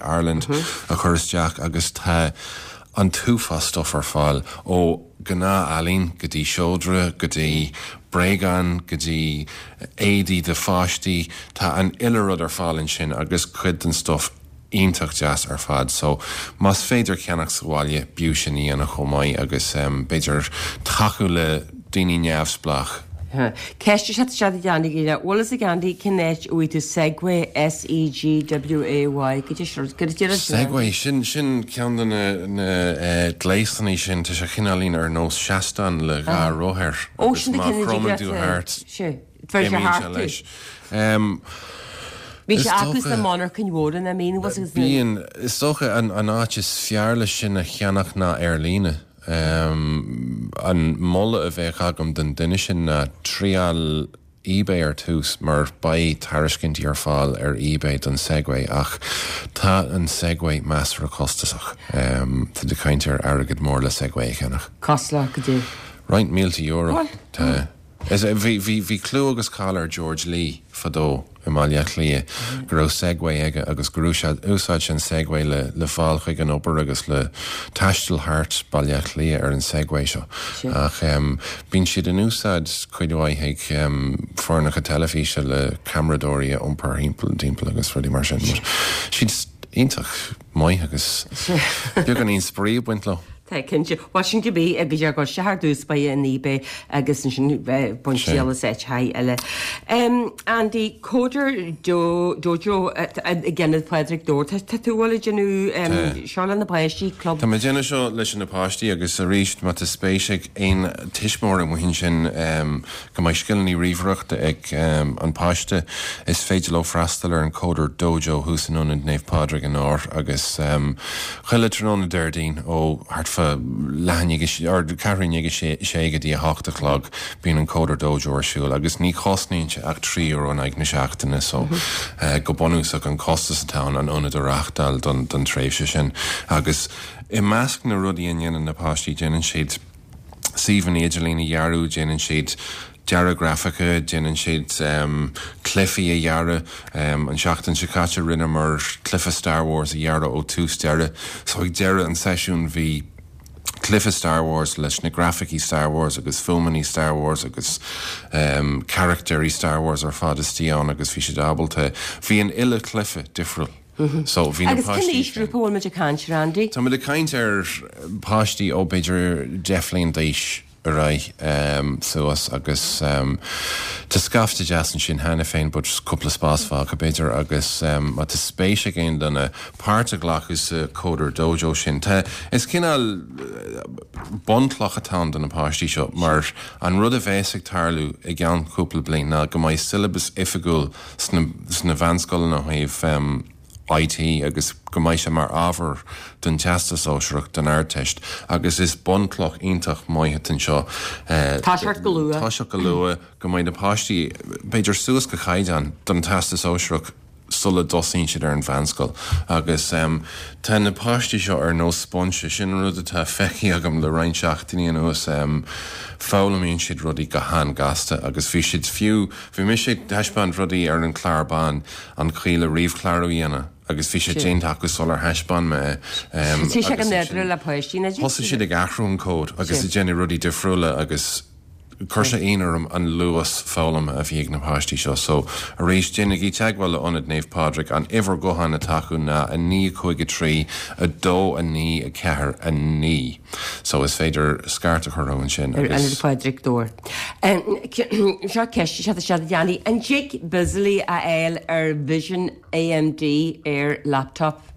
S4: Ireland, a chur isteach agus tá an t-uafás stuff ar fáil, ó ghnáth-ealaín go dtí seodra, go dtí bréagáin, go dtí éadaí do pháistí, tá an uile rud ar fáil ansin agus cuid den stuff iontach deas ar fad so más féidir ceannach sa bhaile b'fhiú sin a dhéanamh chomh maith agus b'fhéidir tacú le daoine neamhspleách.
S1: Ceist is ea seo a Andy, bhfuil fhios ag Andy cén áit a bhfaighidh tú Segway, S-E-G-W-A-Y, go dtí seo, go dtí sin.
S4: Segway, sin, sin ceann de na, na gléasanna sin, tá sé cineáilín ar nós seastán le dhá roth air
S1: Ó,
S4: agus
S1: sin de
S4: má
S1: cinn a
S4: chromann tú thart,
S1: Sé, bheir sé
S4: imíonn sé
S1: thart tú.
S4: leis.
S1: Bhí
S4: Is
S1: sé acu
S4: dócha.
S1: sna monarchain mhóra na mín was agus na.
S4: Bíonn, is dócha an an áit is fearr leis sin a cheannach ná ar líne. An moladh a bheadh agam don duine sin ná triail eBay ar tús mar beidh tairiscintí ar fáil ar eBay don Segway ach tá an Segway measartha costasach. Tá tú ag caint ar airgead mór le Segway a cheannach.
S1: Costasach go dtí.
S4: Roinnt mílte euro.
S1: Bhuel,
S4: Tá. Is é, bhí, bhí, bhí clú agus cáil ar George Lee fadó i mBaile Átha Cliath go raibh Segway aige agus gur úsáid, úsáid sé an Segway le, le fáil chuig an obair agus le taisteal thart Baile Átha Cliath ar an Segway seo.
S1: Sea.
S4: Ach em, bíonn siad in úsáid cuid mhaith ag em, foirneacha teilifíse le ceamaradóirí a iompar thimpeall, timpeall agus rudaí mar sin. But siad iontach maith agus
S1: Sea.
S4: beagáinín spraoi ag baint leo.
S1: Tá, cinnte. Bhuel, sin cibé, agus ar ghoil sé thar dtús ba ea an eBay agus ansin baint triail as áiteacha eile. Andy, Coder Dojo ag Ionad Phádraig Dobhair. Tá tú bhfuil ag déanamh seo le na páistí, club?
S4: Tá mé ag déanamh seo leis na páistí agus arís má tá spéis ag aon tuismitheoir amuigh ansin go mbeidh scileanna ríomhaireachta ag an páiste, is féidir leo freastal ar an Coder Dojo thuas in Ionad Naomh Pádraig in Ár agus chuile tráthnóna Déardaoin ó thart fá leath i ndiaidh or ceathrú i ndiaidh a sé go dtí a hocht a chlog bíonn an Coder Dojo ar siúl agus ní chosnaíonn sé ach trí euro in aghaidh na seachtaine so go bunúsach an costas atá ann an ionad a reáchtáil don don tréimhse sin agus i measc na rudaí a ndéanann na páistí déanann siad suíomhanna idirlín a dhearadh, déanann siad dearadh grafaice, déanann siad cluichí a dhearadh. An seachtain seo caite rinneamar cluiche Star Wars a dhearadh ó tús deireadh. So ag deireadh an seisiúin bhí Cluiche Star Wars leis na grafaicí Star Wars agus fuaimeanna Star Wars agus um, carachtair Star Wars ar fad istigh ann agus bhí siad ábalta. Bhí an uile cluiche difriúil. Mm -hmm. So bhí
S1: Agus cén aoisghrúpa bhfuil muid ag caint ar Andy?
S4: Tá muid ag caint ar páistí ó b'fhéidir deich mbliana d'aois ar aghaidh um, suas agus um, Tá scaifte deas ansin cheana féin but cúpla spás fágtha b'fhéidir agus um, má tá spéis ag aon duine páirt a ghlacadh sa Coder Dojo sin. Tá is cineál bunchloch atá ann do na páistí seo mar an rud a bheas ag tarlú i gceann cúpla bliain ná go mbeidh syllabus oifigiúil sna, sna meánscoileanna ó thaobh um, IT agus go mbeidh sé mar ábhar don Teastas Sóisearach don Ardteist agus is bunchloch iontach maith atá anseo.
S1: Toiseacht go luath.
S4: Toiseacht go luath go mbeidh na páistí b'fhéidir suas go caighdeán don Teastas Sóisearach sula dtosaíonn siad ar an mheánscoil agus um, tá na páistí seo ar nós sponge sin rud atá feicthe agam le roinnt seachtainí anuas um, foghlaimíonn siad rudaí go han-ghasta agus bhí siad fiú bhí mise ag taispeáint rudaí ar an chlár bán an chaoi le ríomhchlárú a dhéanamh agus bhí sé déanta acu sular thaispeáin mé
S1: um, Tá sé go nádúrtha le páistí na
S4: Thosaigh siad ag athrú an cód agus ag déanamh rudaí difriúla agus chuir sé ionadh orm an luas foghlama a bhí ag na páistí seo, so arís déanaigí teagmháil le Ionad Naomh Pádraig an uimhir ghutháin atá acu ná a naoi cúig a trí a dó a naoi a ceathair a naoi. So is féidir scairt a chur ansin
S1: Ar Ionad Phádraig Dobhair. Seo ceist seo seo Danny an dtig Bizly a fháil ar Vision AMD ar laptop.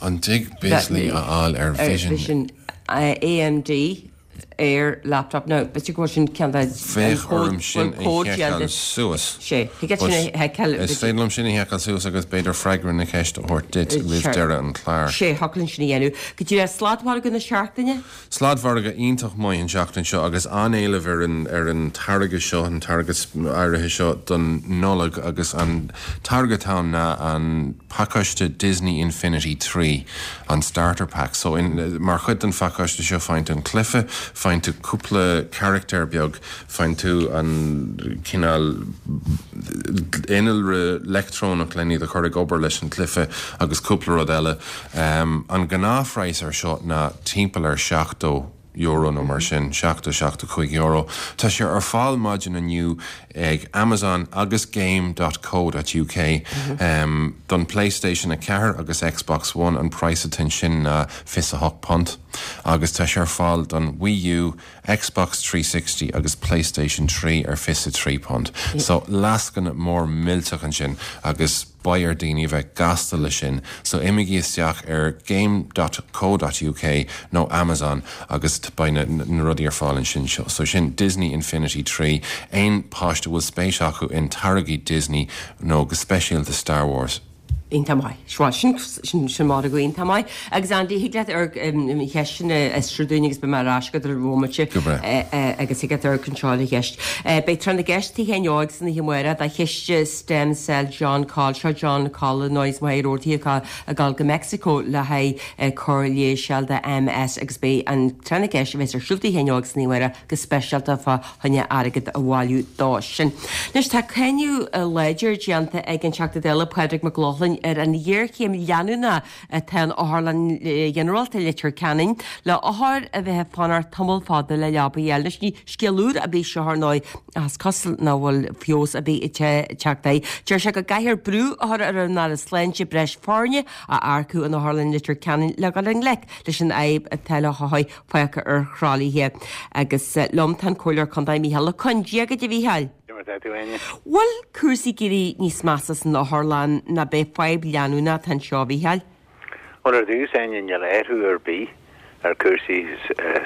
S4: An dtig Bizly a fháil ar Vision
S1: Vision AMD ar laptop no but go sin cean
S4: Bheadh orm sin a sheiceáil suas.
S1: Sé sin a sheiceáil
S4: Is féidir liom sin a sheiceáil suas agus b'fhéidir freagra na ceiste a thabhairt duit roimh deireadh an chláir.
S1: Sé thaclann sin a dhéanamh. Go dtí le sladmhargadh na seachtaine?
S4: Sladmhargadh iontach maith an seachtain seo agus an-éileamh ar an ar an táirge seo an táirge áirithe seo don Nollaig agus an táirge atá ann ná an pacáiste Disney Infinity trí an starter pack. So in, mar chuid den phacáiste seo faigheann tú an cluiche, faigheann tú cúpla carachtar beag, faigheann tú an cineál innealra leictreonach le iad a chur ag obair leis an cluiche agus cúpla rud eile. Um, an gnáthphraghas ar seo ná timpeall ar seachtó euro nó mar sin seachtó seachtó cúig euro. Tá sé ar fáil maidin inniu ag Amazon agus game.co.uk um, don PlayStation a ceathair agus Xbox One an praghas atá ansin ná fiche a hocht punt agus tá sé ar fáil don Wii U, Xbox trí sixty agus PlayStation trí ar fiche a trí punt. So lascaine mór millteach ansin agus beidh ar daoine a bheith gasta leis sin, so imígí isteach ar game.co.uk nó Amazon agus beidh na, na rudaí ar fáil ansin seo. So sin Disney Infinity trí aon páiste bhfuil spéis acu in táirgí Disney nó go speisialta Star Wars.
S1: Iontach maith. Seo sin sin sin margadh iontach maith. Agus Andy thig leat ar cheisteanna a aistriú dúinn agus beidh mé ar ais agat ar bhomaite
S4: Go breá.
S1: agus thig leat ar anseo le cheist. Beidh tráth na gceist Tigh Sheáin Óig san oíche amárach do chiste Stem Cell John Coll seo John Coll nois maith rótaí atá ag dul go Mexico le haghaidh cóir leighis do MS agus beidh an tráth na gceist a bheas ar siúl Tigh Sheáin Óig san oíche amárach go speisialta fá choinne airgead a bhailiú dó sin. Anois tá cáineadh láidir déanta ag an Teachta Dála Pádraig Mac Lochlainn ar an ghéarchéim leanúnach atá in Otharlann Ghinearálta Leitir Ceanainn le othair a bheith ag fanacht tamall fada le leaba a fháil. Anois ní scéal úr ar bith seo ar ndóigh ach is cosúil nach bhfuil feabhas ar bith ag teacht air. Deir sé go gcaithfear brú a chur ar an Aire Sláinte breis foirne a earcú in Otharlann Leitir Ceanainn le dul i ngleic leis an fhadhb atá le hothair fágtha ar thralaithe. Agus liom tá an Comhairleoir Contae Mícheál Ó Coinn. Dia dhuit a Mhícheáil. Bhfuil cúrsaí ag éirí níos measa san otharlann nó ab é fadhb leanúnach atá anseo a Mhícheáil?
S5: Bhuel ar dtús Áine níl athrú ar bith ar cúrsaí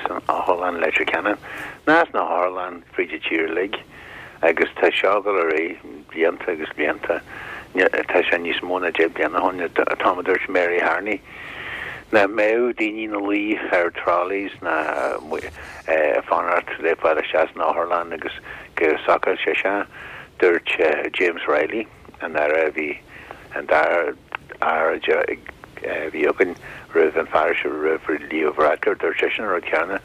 S5: san otharlann Leitir Ceanainn ná sna hotharlanna fríd an tír uilig agus tá seo ag dul ar aghaidh blianta agus blianta. Tá sé níos mó ná deich bliana ó shin an t-am a dúirt Mary Harney nach mbeadh daoine ina luí ar trolleys ná ag fanacht le fáil isteach san otharlann agus go socródh sé seo. Dúirt James Reilly, an aire a bhí an dara aire a bhí againn roimh an fear seo roimh Leo Varadkar, dúirt seisean an rud céanna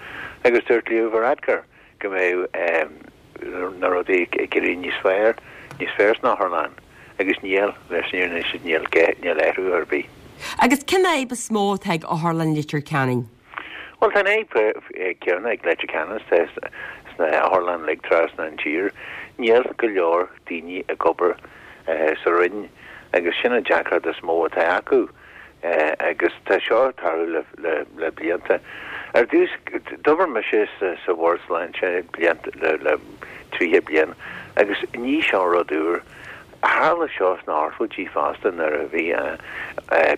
S5: agus dúirt Leo Varadkar go mbeadh na rudaí ag éirí níos fearr, níos fearr san otharlann agus níl, leis an fhírinne níl, níl athrú ar bith.
S1: Agus cén fhadhb is mó atá ag Otharlann Leitir Ceanainn?
S5: Bhuel, tá an fhadhb céanna ag Leitir Ceanainn sna hotharlanna uilig trasna an tír. Níl go leor daoine ag obair sa Roinn agus sin an deacracht is mó atá acu agus tá seo ag tarlú le blianta. Ar dtús, d'obair mise sa Bhord Sláinte blianta le tríocha bliain agus ní seo rud úr. Tharla seo sna hochtóidí fosta nuair a bhí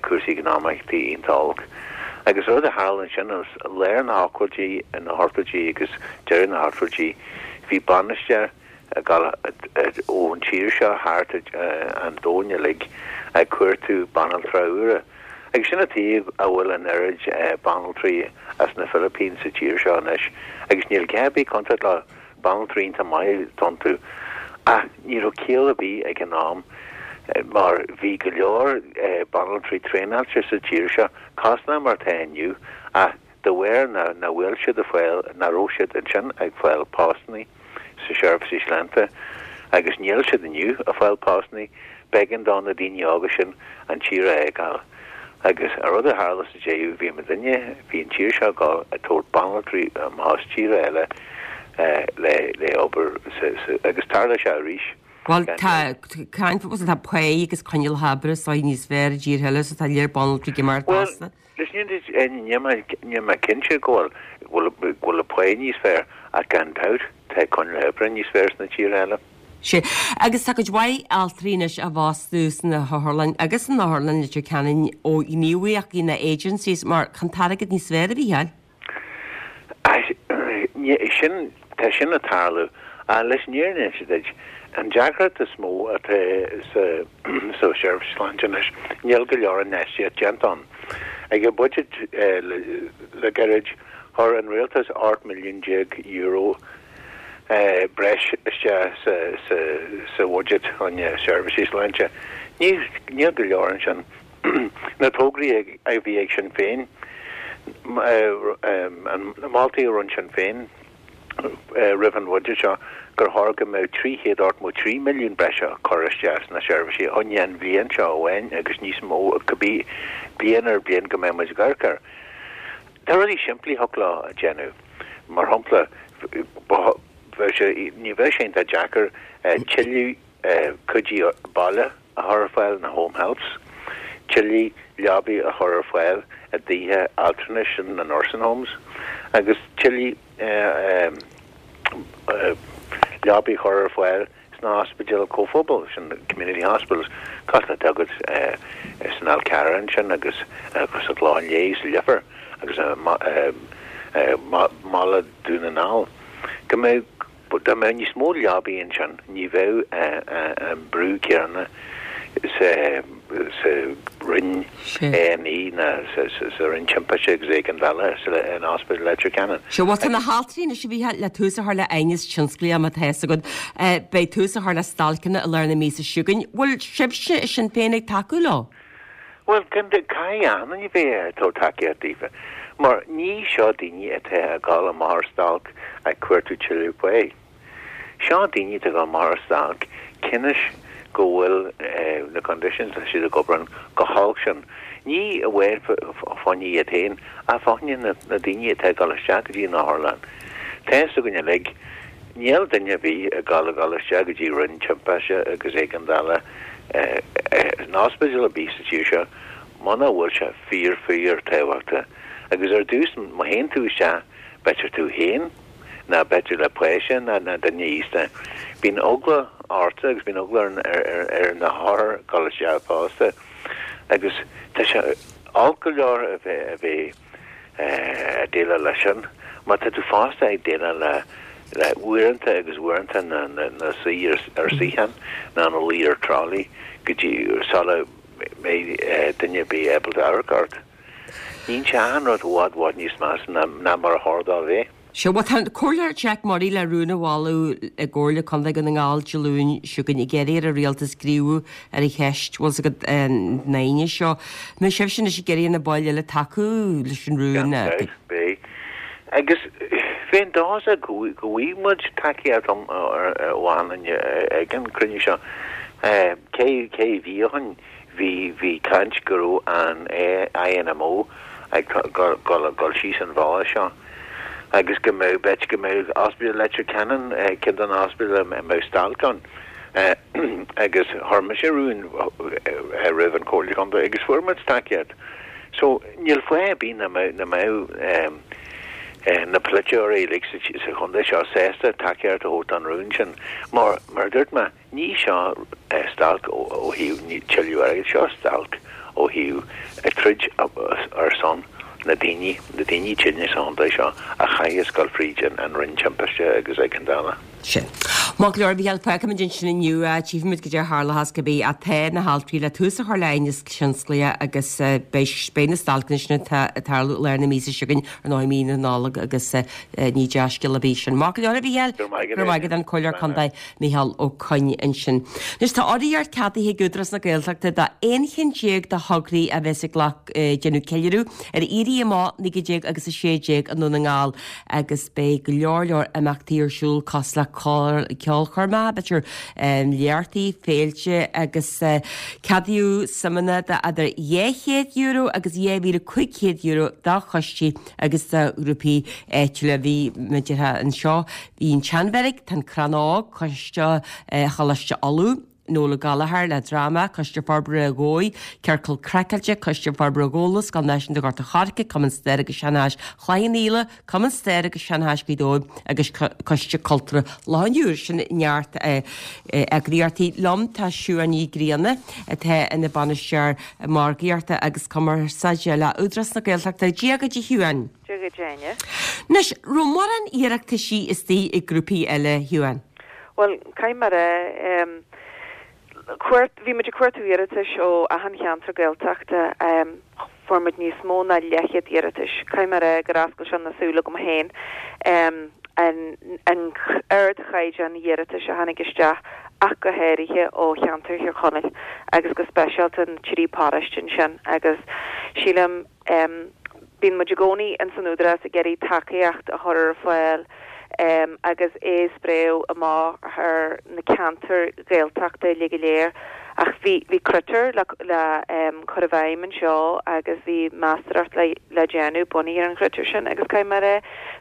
S5: cúrsaí eacnamaíochta iontach olc. Agus rud a tharla ansin is lár na hochtóidí, na hochtóidí agus deireadh na hochtóidí, bhí bainisteoir ag dul ón tír seo thart an domhan uilig ag cuartú banaltra úra. Agus sin an tuige a bhfuil an oiread banaltraí as na Philippines sa tír seo anois agus níl gá ar bith contúirt leo, banaltraí iontach maith atá iontu. Ach ní raibh ciall ar bith ag an am mar bhí go leor banaltraí traenáilte sa tír seo, cosúil le mar atá inniu, ach de bharr nach bhfuil siad ag fáil, nach raibh siad ansin ag fáil postannaí sa seirbhísí sláinte agus níl siad inniu ag fáil postannaí, b'éigean do na daoine óga sin an tír a fhágáil. Agus an rud a tharla sa deireadh, bhí muidinne, bhí an tír seo ag dul ag tabhairt banaltraí amach as tíortha eile le le obair sa agus tharla sé arís.
S1: Bhuel tá caint fós tá pá agus coinníollacha oibre is dóigh níos fearr i dtíortha eile so tá léir banaltraí ag imeacht
S5: Bhuel
S1: fosta.
S5: leis níl mé níl mé cinnte go bhfuil go bhfuil an pá níos fearr ach gan dabht tá coinníollacha oibre níos fearr sna tíortha eile.
S1: Sea, agus tá cuid mhaith altraí anois á bhfostú sna hotharlann agus san otharlann Leitir Ceanainn ó ghníomhaíochtaí na agencies mar chun t-airgead níos fearr a bhí ann.
S5: Sin, tá sin ag tarlú. Leis an fhírinne a inse duit, an deacracht is mó atá sa sa seirbhís sláinte anois, níl go leor infheistíocht déanta ann. Ag an budget le le gairid, chuir an rialtas ocht milliún déag euro breis isteach sa sa sa bhuiséad chun seirbhísí sláinte. Ní níl go leor ansin. Na tograí a bhí ag Sinn Féin, na moltaí a rinne Sinn Féin roimh an bhuiséad seo gur chóir go mbeadh trí chéad ochtó trí milliún breise curtha isteach sna seirbhísí chun an bhliain seo amháin agus níos mó cibé bliain ar bliain go mbeidh muid ag amharc air. Tá rudaí simplí a thig leo a dhéanamh. Mar shampla, bheadh sé, ní bheadh sé iontach deacair tuilleadh cuidiú baile a chur ar fáil, na home helps, tuilleadh leabaí a chur ar fáil i dtithe altranais na nursing homes agus tuilleadh leabaí a chur ar fáil sna hospidéil comhphobail, sin community hospitals, cosúil le atá agat san Fhál Carrach ansin agus sa Chlochán Liath, sa Leifear agus i mbaile Dún na nGall. Go mbeadh, dá mbeadh níos mó leabaí ansin, ní bheadh an brú céanna sa sa Roinn A and E ná sa sa Roinn Timpiste agus Éigeandála in Ospidéal Leitir Ceanainn.
S1: Sea, bhuel tá na haltraí anois a Mhícheáil le tús a chur le aighneas tionsclaíoch má tá fhios agat. Beidh tús a chur le stailceanna i lár na míosa seo chugainn. Bhfuil sibhse i Sinn Féin ag tacú leo?
S5: Bhuel, caithfidh achan duine bheith ag tabhairt tacaíocht daofa, mar ní seo daoine atá ag dul amach ar stailc ag cuartú tuilleadh pá. Seo daoine atá ag dul amach ar stailc cionn is go bhfuil na conditions atá siad ag obair ann go holc sin. Ní amháin fá choinne iad féin ach fá choinne na daoine atá ag dul isteach go dtí an otharlann. Tá fhios againn uilig, níl duine ar bith ag dul ag dul isteach go dtí roinn timpiste agus éigeandála in ospidéal ar bith sa tír seo muna bhfuil sé fíor fíor tábhachtach. Agus ar dtús má théann tú isteach b'fhéidir tú féin ná b'fhéidir le páiste ná ná duine aosta. Bíonn eagla ort agus bíonn eagla ar ar ar na hothair dul isteach fosta. Agus tá sé olc go leor a bheith a bheith ag déileáil leis sin, má tá tú fosta ag déileáil le le uaireanta agus uaireanta na na na suí ar ar suíochán ná na luí ar trolley go dtí sula mbeidh duine ar bith ábalta amharc ort. Níonn sé achan rud i bhfad bhfad níos measa ná ná mar a chóir dó a bheith.
S1: Sea, bhuel tá an Comhairleoir Jack Murray le rún a mholadh i gComhairle Contae Dhún na nGall Dé Luain seo chugainn ag iarraidh ar an rialtas gníomhú ar an cheist, bhfuil fhios agat, na haoine seo. Mbeidh sibhse anois ag iarraidh ar na baill eile tacú leis an rún?
S5: Gan dabht, beidh. Agus bheinn dóchasach go bhfaighidh muid tacaíocht ó achan duine ag an cruinniú seo. Cé cé bhí ó shin, bhí bhí caint go raibh an I N M O ag dul síos an bhealach seo agus go mbeadh b'fhéidir go mbeadh Ospidéal Leitir Ceanainn ceann de na hospidéil a mbeadh stailc ann agus chuir mise rún roimh an Chomhairle Contae agus fuair muid tacaíocht. So níl fáth ar bith nach mbeadh na polaiteoirí uilig sa chontae seo sásta tacaíocht a thabhairt don rún sin. Mar mar a dúirt mé, ní seo stailc ó thaobh tuilleadh airgid, seo stailc ó thaobh troid ar son na daoine, na daoine tinne sa chontae seo a chaithfeas dul fríd an rinn timpiste agus éigeandála.
S1: Sin. Maith go leor, a Mhícheáil, fágfaimid ansin inniu, tchífimid goidé a tharlóchas cibé ach tá na haltraí le tús a chur le aighneas tionsclaíoch agus beidh beidh na stailceanna sin ag tarlú i lár na míosa seo chugainn, ar ndóigh mí na Nollag agus ní dea-scéal ar bith sin. Maith go leor, a Mhícheáil.
S5: Go raibh maith agat.
S1: Go raibh maith agat, an Comhairleoir Contae Mícheál Ó Coinn ansin. Anois tá urraíocht ceadaithe ag Údarás na Gaeltachta do aon cheann déag de thograí a bheas ag déanamh ceiliúradh ar Éirí Amach naoi déag agus a sé déag i nDún na nGall agus beidh go leor leor imeachtaí ar siúl cosúil le ceolchoirmeacha, b'fhéidir léachtaí, féilte agus ceadaíodh suimeanna de idir dhá chéad euro agus dhá mhíle cúig chéad euro do choistí agus do ghrúpaí áitiúla. Bhí muid anseo, bhí an tSeanbheairic, tá an Crann Óg, Coiste Choláiste Uladh, Noel Ó Gallchóir le dráma, Coiste Forbartha Dhomhaigh, Ciorcal Craiceáilte, Coiste Forbartha Ghabhla, Scoil Náisiúnta Ghort a' Choirce, Cumann Staire agus Seanchais Chloich Cheann Fhaola, Cumann Staire agus Seanchais Ghaoth Dobhair agus Coiste Cultúrtha Loch an Iúir. Sin neart eagraíochtaí. Liom tá Siubhán Ní Ghrianna atá ina Bainisteoir Margaíochta agus Cumarsáide le Údarás na Gaeltachta. Dia dhuit a Shiubhán.
S6: Dia dhuit a Áine.
S1: Anois, raibh mórán iarrataisí istigh ag grúpaí eile, a Shiubhán?
S6: Bhuel, caithfidh mé a rá, cuart, bhí muid ag cuartú iarratais ó achan cheantar Gaeltachta, fuair muid níos mó ná leathchéad iarratais. Caithfidh mé a rá gur oscail sé na súile agam féin an an ardchaighdeán iarratais a tháinig isteach ach go háirithe ó cheantar Thír Chonaill agus go speisialta na trí paróiste ansin agus sílim Bíonn muid i gcónaí ins an Údarás ag iarraidh tacaíocht a chur ar fáil agus é a spréadh amach thar na ceantair Ghaeltachta uilig go léir. Ach bhí bhí critéir le le cur i bhfeidhm anseo agus bhí meastóireacht le le déanamh bunaithe ar an chritéar sin agus caithfidh mé a rá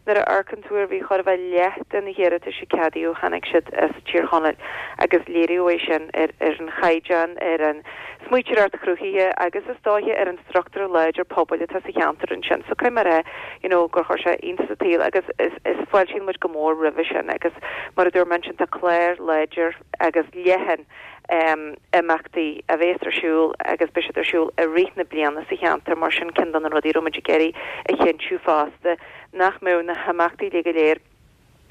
S6: nuair a amharcann tú ar bhí chóir a bheith leath de na hiarratais a ceadaíodh tháinig siad as Tír Chonaill agus léiríodh é sin ar ar an chaighdeán ar an smaointeoireacht chruthaithe agus is dóiche ar an struchtúr láidir pobail atá sa cheantar ansin. So caithfidh mé a rá you know gur chuir sé iontas an tsaoil agus is is fáiltíonn muid go mór roimhe sin agus mar a dúirt mé ansin tá clár láidir agus leathan um imeachtaí a bhéas ar siúl agus beidh siad ar siúl i rith na bliana sa cheantar mar sin ceann de na rudaí a raibh muid ag iarraidh a chinntiú fosta nach mbeadh na himeachtaí uilig go léir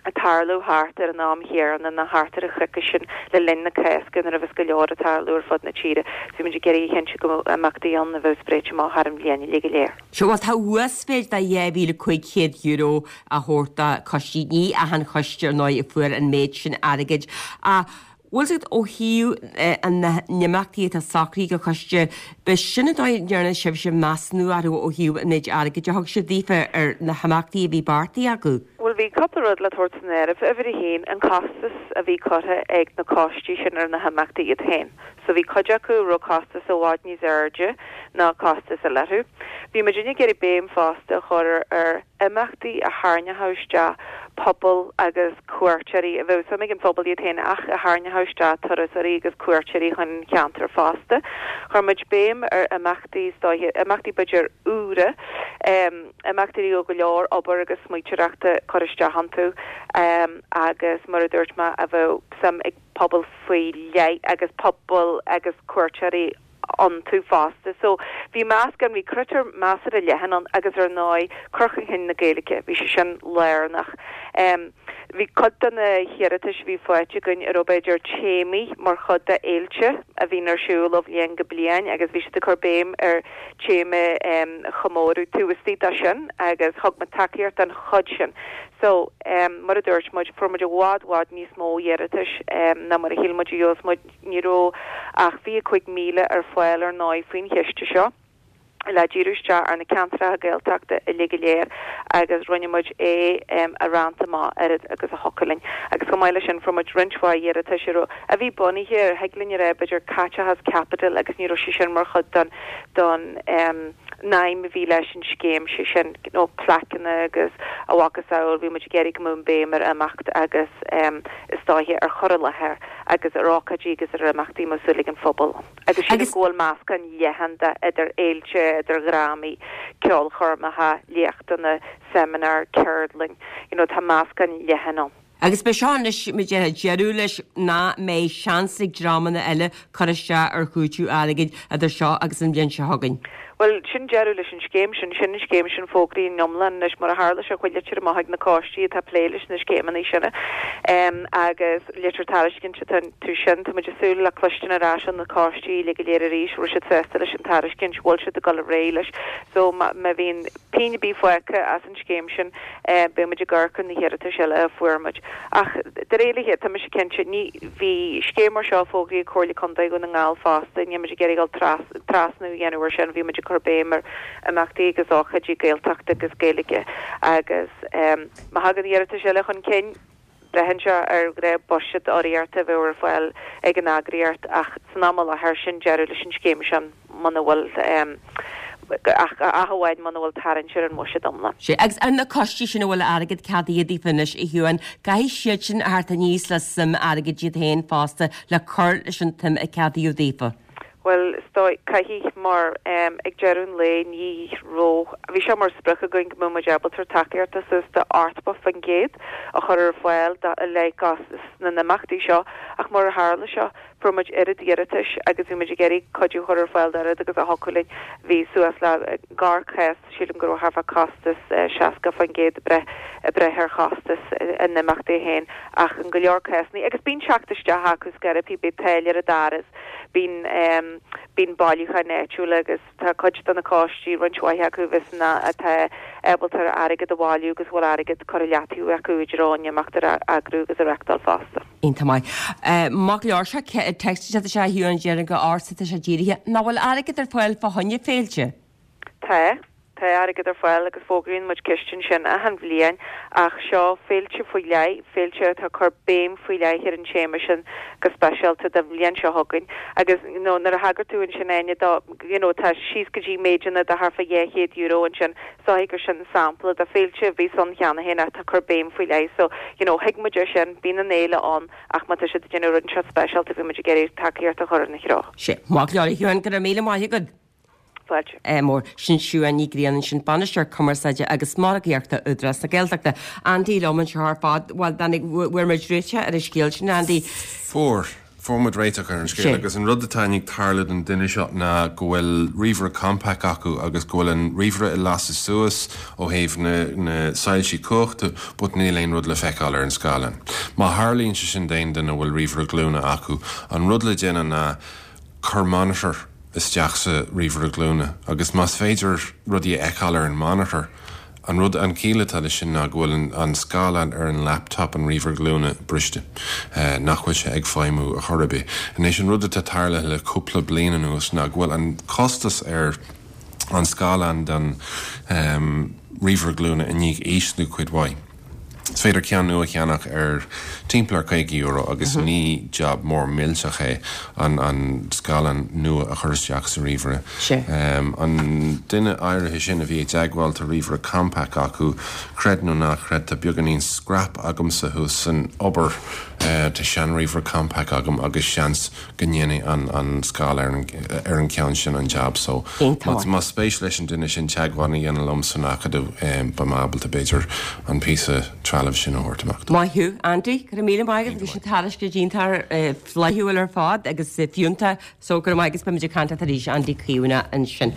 S6: ag tarlú thart ar an am chéanna nó thart ar an choicís sin le linn na Cásca nuair a bheas go leor ag tarlú ar fud na tíre. So bhí muid ag iarraidh a chinntiú go mbeadh imeachtaí ann a bheadh spréite amach thar an bhliain uilig go léir.
S1: Sea, bhuel tá uasmhéid de dhá mhíle cúig chéad euro á thabhairt do choistí. Ní achan choiste ar ndóigh a fuair an méid sin airgid. Ach bhfuil 's agat ó thaobh na n-imeachtaí atá socraithe ag an choiste, b'shin an dóigh a ndearna sibhse measúnú orthu ó thaobh an méid airgid a thug sibh daofa ar na himeachtaí a bhí beartaithe acu?
S6: Bhuel, bhí cúpla rud le tabhairt san áireamh. Uimhir a haon, an costas a bhí curtha ag na coistí sin ar na himeachtaí iad féin. So bhí cuid acu a raibh costas i bhfad níos airde ná costas eile orthu. Bhí muid ag iarraidh béim fosta a chur ar imeachtaí a tharraingeodh isteach pobal agus cuairteoirí, a bheadh suim ag an phobal iad féin ach a tharraingeodh isteach turasóirí agus cuairteoirí chun an cheantair fosta. Chuir muid béim ar imeachtaí is dóiche, imeachtaí b'fhéidir úra, imeachtaí a raibh go leor obair agus smaointeoireachta curtha isteach iontu agus mar a dúirt mé a bheadh suim ag pobal faoi leith agus pobal agus cuairteoirí iontu fosta. So bhí meascán, bhí critéar measartha leathan ann agus ar ndóigh cur chun cinn na Gaeilge, bhí sé sin lárnach. Bhí cuid de na hiarratais a bhí faighte againn a raibh b'fhéidir téamaí mar chuid de fhéilte a bhíonn ar siúl ó bhliain go bliain agus bhí siad ag cur béim ar téama a chomóradh taobh istigh de sin agus thug muid tacaíocht don chuid sin. So mar a dúirt muid, fuair muid i bhfad, bhfad níos mó iarratais ná mar a shíl muid a gheobhadh muid. Ní raibh ach fiche cúig míle ar fáil ar ndóigh faoin chiste seo le díriú isteach ar na ceantracha Gaeltachta uilig go léir agus rinne muid é a roinnt amach oiread agus a thiocfadh linn. Agus chomh maith leis sin fuair muid roinnt mhaith iarratais a raibh, a bhí bunaithe ar, thig linn a rá b'fhéidir caiteachas caipitil agus ní raibh sé sin mar chuid don, don, An aidhm a bhí leis an scéim sé sin you know, plaiceanna agus a mhacasamhail bhí muid ag iarraidh go mbeadh an béim ar imeacht agus um, is dóiche ar chur i láthair agus ar ócáidí agus ar imeachtaí mar súil ag an phobal. Agus sin
S1: Agus-
S6: go bhfuil meascán leathan de idir fhéilte, idir dhrámaí, ceolchoirmeacha, léachtanna, seimineár, ceardlann, you know, tá meascán leathan ann.
S1: Agus be seo anois muid deireadh leis ná mbeidh seans ag dreamanna eile cur isteach ar chúiteamh airgid idir seo agus an bhliain seo chugainn.
S6: Well sin deireadh leis an scéim sin sin an scéim sin fógraí an iomlán leis mar a tharla sé chuir litir amach ag na coistí atá plé leis na scéimeanna sin um, agus litir tairiscint tú sin tá muid ag súil le cloistin ar ais na coistí le go léir arís bhfuil siad sásta leis an tairiscint bhfuil siad ag dul ar aghaidh leis so má bhíonn pingin ar bith fágtha as an scéim sin eh, beimid ag amharc ar na hiarratais eile a fuair muid. Ach de réir tá sé cinnte ní bhí scéim mar seo fógraithe Comhairle Contae Dhún na nGall fosta ní muid ag iarraidh trasnú a dhéanamh sin bhí muid ag cur béim ar imeachtaí agus ócáidí Gaeltachta agus Gaeilge agus um, má thagann iarratais eile chun cinn braitheann sé ar gré buiséad urraíochta bheith ar fáil ag an eagraíocht ach san am láthair sin deireadh leis an scéim sin muna bhfuil um, ach amháin muna bhfuil tarraingt ar an mbuiséad iomlán.
S1: Sé agus an na coistí sin a bhfuil airgead ceadaithe daofa anois a Shiúin, caithfidh siad sin a theacht aníos le suim airgid iad féin fosta le cur leis an tsuim a ceadaíodh daofa.
S6: Well stoi caithfidh mar um, ag deireadh an lae ní raibh bhí sé mar sprioc againn go mbeadh muid ábalta tacaíocht suas de ochtó faoin gcéad a chur ar fáil le costas na n-imeachtaí seo ach mar a tharla seo fuair muid oiread iarratais agus bhí muid ag iarraidh cuidiú chur ar fáil oiread agus a thiocfadh linn bhí suas le garchás sílim go raibh thart fá costas seasca faoin gcéad breith breith ar chostas an imeachtaí féin ach an go leor cásanna agus bíonn teacht isteach acu scarapí bí tailir a daras bíonn um, bíonn bailiúcháin áitiúil agus tá cuid de na coistí roinnt mhaith acu vis na atá ábalta airgead a bhailiú agus bhfuil airgead curtha i leataobh acu idir an imeacht a eagrú agus a reáchtáil fosta.
S1: Iontach maith. Má leor se text sé sé hiú an déan go ása sé dírithe, ná bhfuil airgead ar fáil fá choinne féilte?
S6: Tá tá airgead ar fáil agus fógraíonn muid cistí sin achan bhliain ach seo féilte faoi leith féilte atá cur béim faoi leith ar an téama sin go speisialta don bhliain seo chugainn agus you know, nuair a thagair tú ansin aine dá you know, tá síos go dtí méideanna de thart fá dhá chéad euro ansin so gur sin sampla de féilte bhí san cheana féin atá cur béim faoi leith so you know, thuig muid sin bíonn an fhéile ann ach má tá siad déanamh rud seo speisialta bhí muid ag iarraidh tacaíocht a chur ina threo.
S1: Sé má leor hiúan go raibh míle maith agat.
S6: Fáilte.
S1: mór sin Siún Ní Ghrianna sin bainisteoir cumarsáide agus margaíochta Údarás na Gaeltachta. Andy liom anseo ar fad bhfuil bhfuil muid réitithe ar an scéal sin Andy.
S4: Fuair Fuair muid réiteach ar an scéal agus an rud atá ag tarlú don duine seo ná go bhfuil ríomhaire Compaq acu agus go bhfuil an ríomhaire ag lasadh suas ó thaobh na, na soilsí cumhachta, but níl aon rud le feiceáil ar an scáileán. Má tharlaíonn sé sin d'aon duine bhfuil ríomhaire glúine acu, an rud le déanamh ná cur monitor isteach sa ríomhaire glúine, agus más féidir rudaí a fheiceáil ar an monitor, an rud an chiall atá leis sin ná go bhfuil an, an scáileán ar an laptop an ríomhaire glúine briste uh, nach bhfuil sé ag feidhmiú a chor ar bith. Anois an rud atá tarlaithe le cúpla bliain anuas ná go bhfuil an costas ar an scáileán den um, ríomhaire glúine i ndiaidh ísliú cuid mhaith. Is féidir ceann nua a cheannach ar timpeall ar caoga euro agus mm -hmm. ní job mór millteach é an an scáileán nua a chur isteach sa ríomhaire. Um, an duine áirithe sin a bhí ag teagmháil tá ríomhaire Compaq acu creid nó ná creid tá beagáinín scrap agamsa thuas san obair uh, tá seanríomhaire Compaq agam agus seans go ndéanfaidh an, an scáileán ar an, ar an ceann sin an job so má spéis leis an duine sin teagmháil a dhéanamh liom san Acadamh um, ba ábalta b'fhéidir an píosa trealamh sin a thabhairt amach.
S1: Maith thú Andy go raibh míle maith bhí sin tairiscint iontach flaithiúil ar fad agus fiúntach so go raibh agus beimid ag caint arís Andy Caomhna ansin.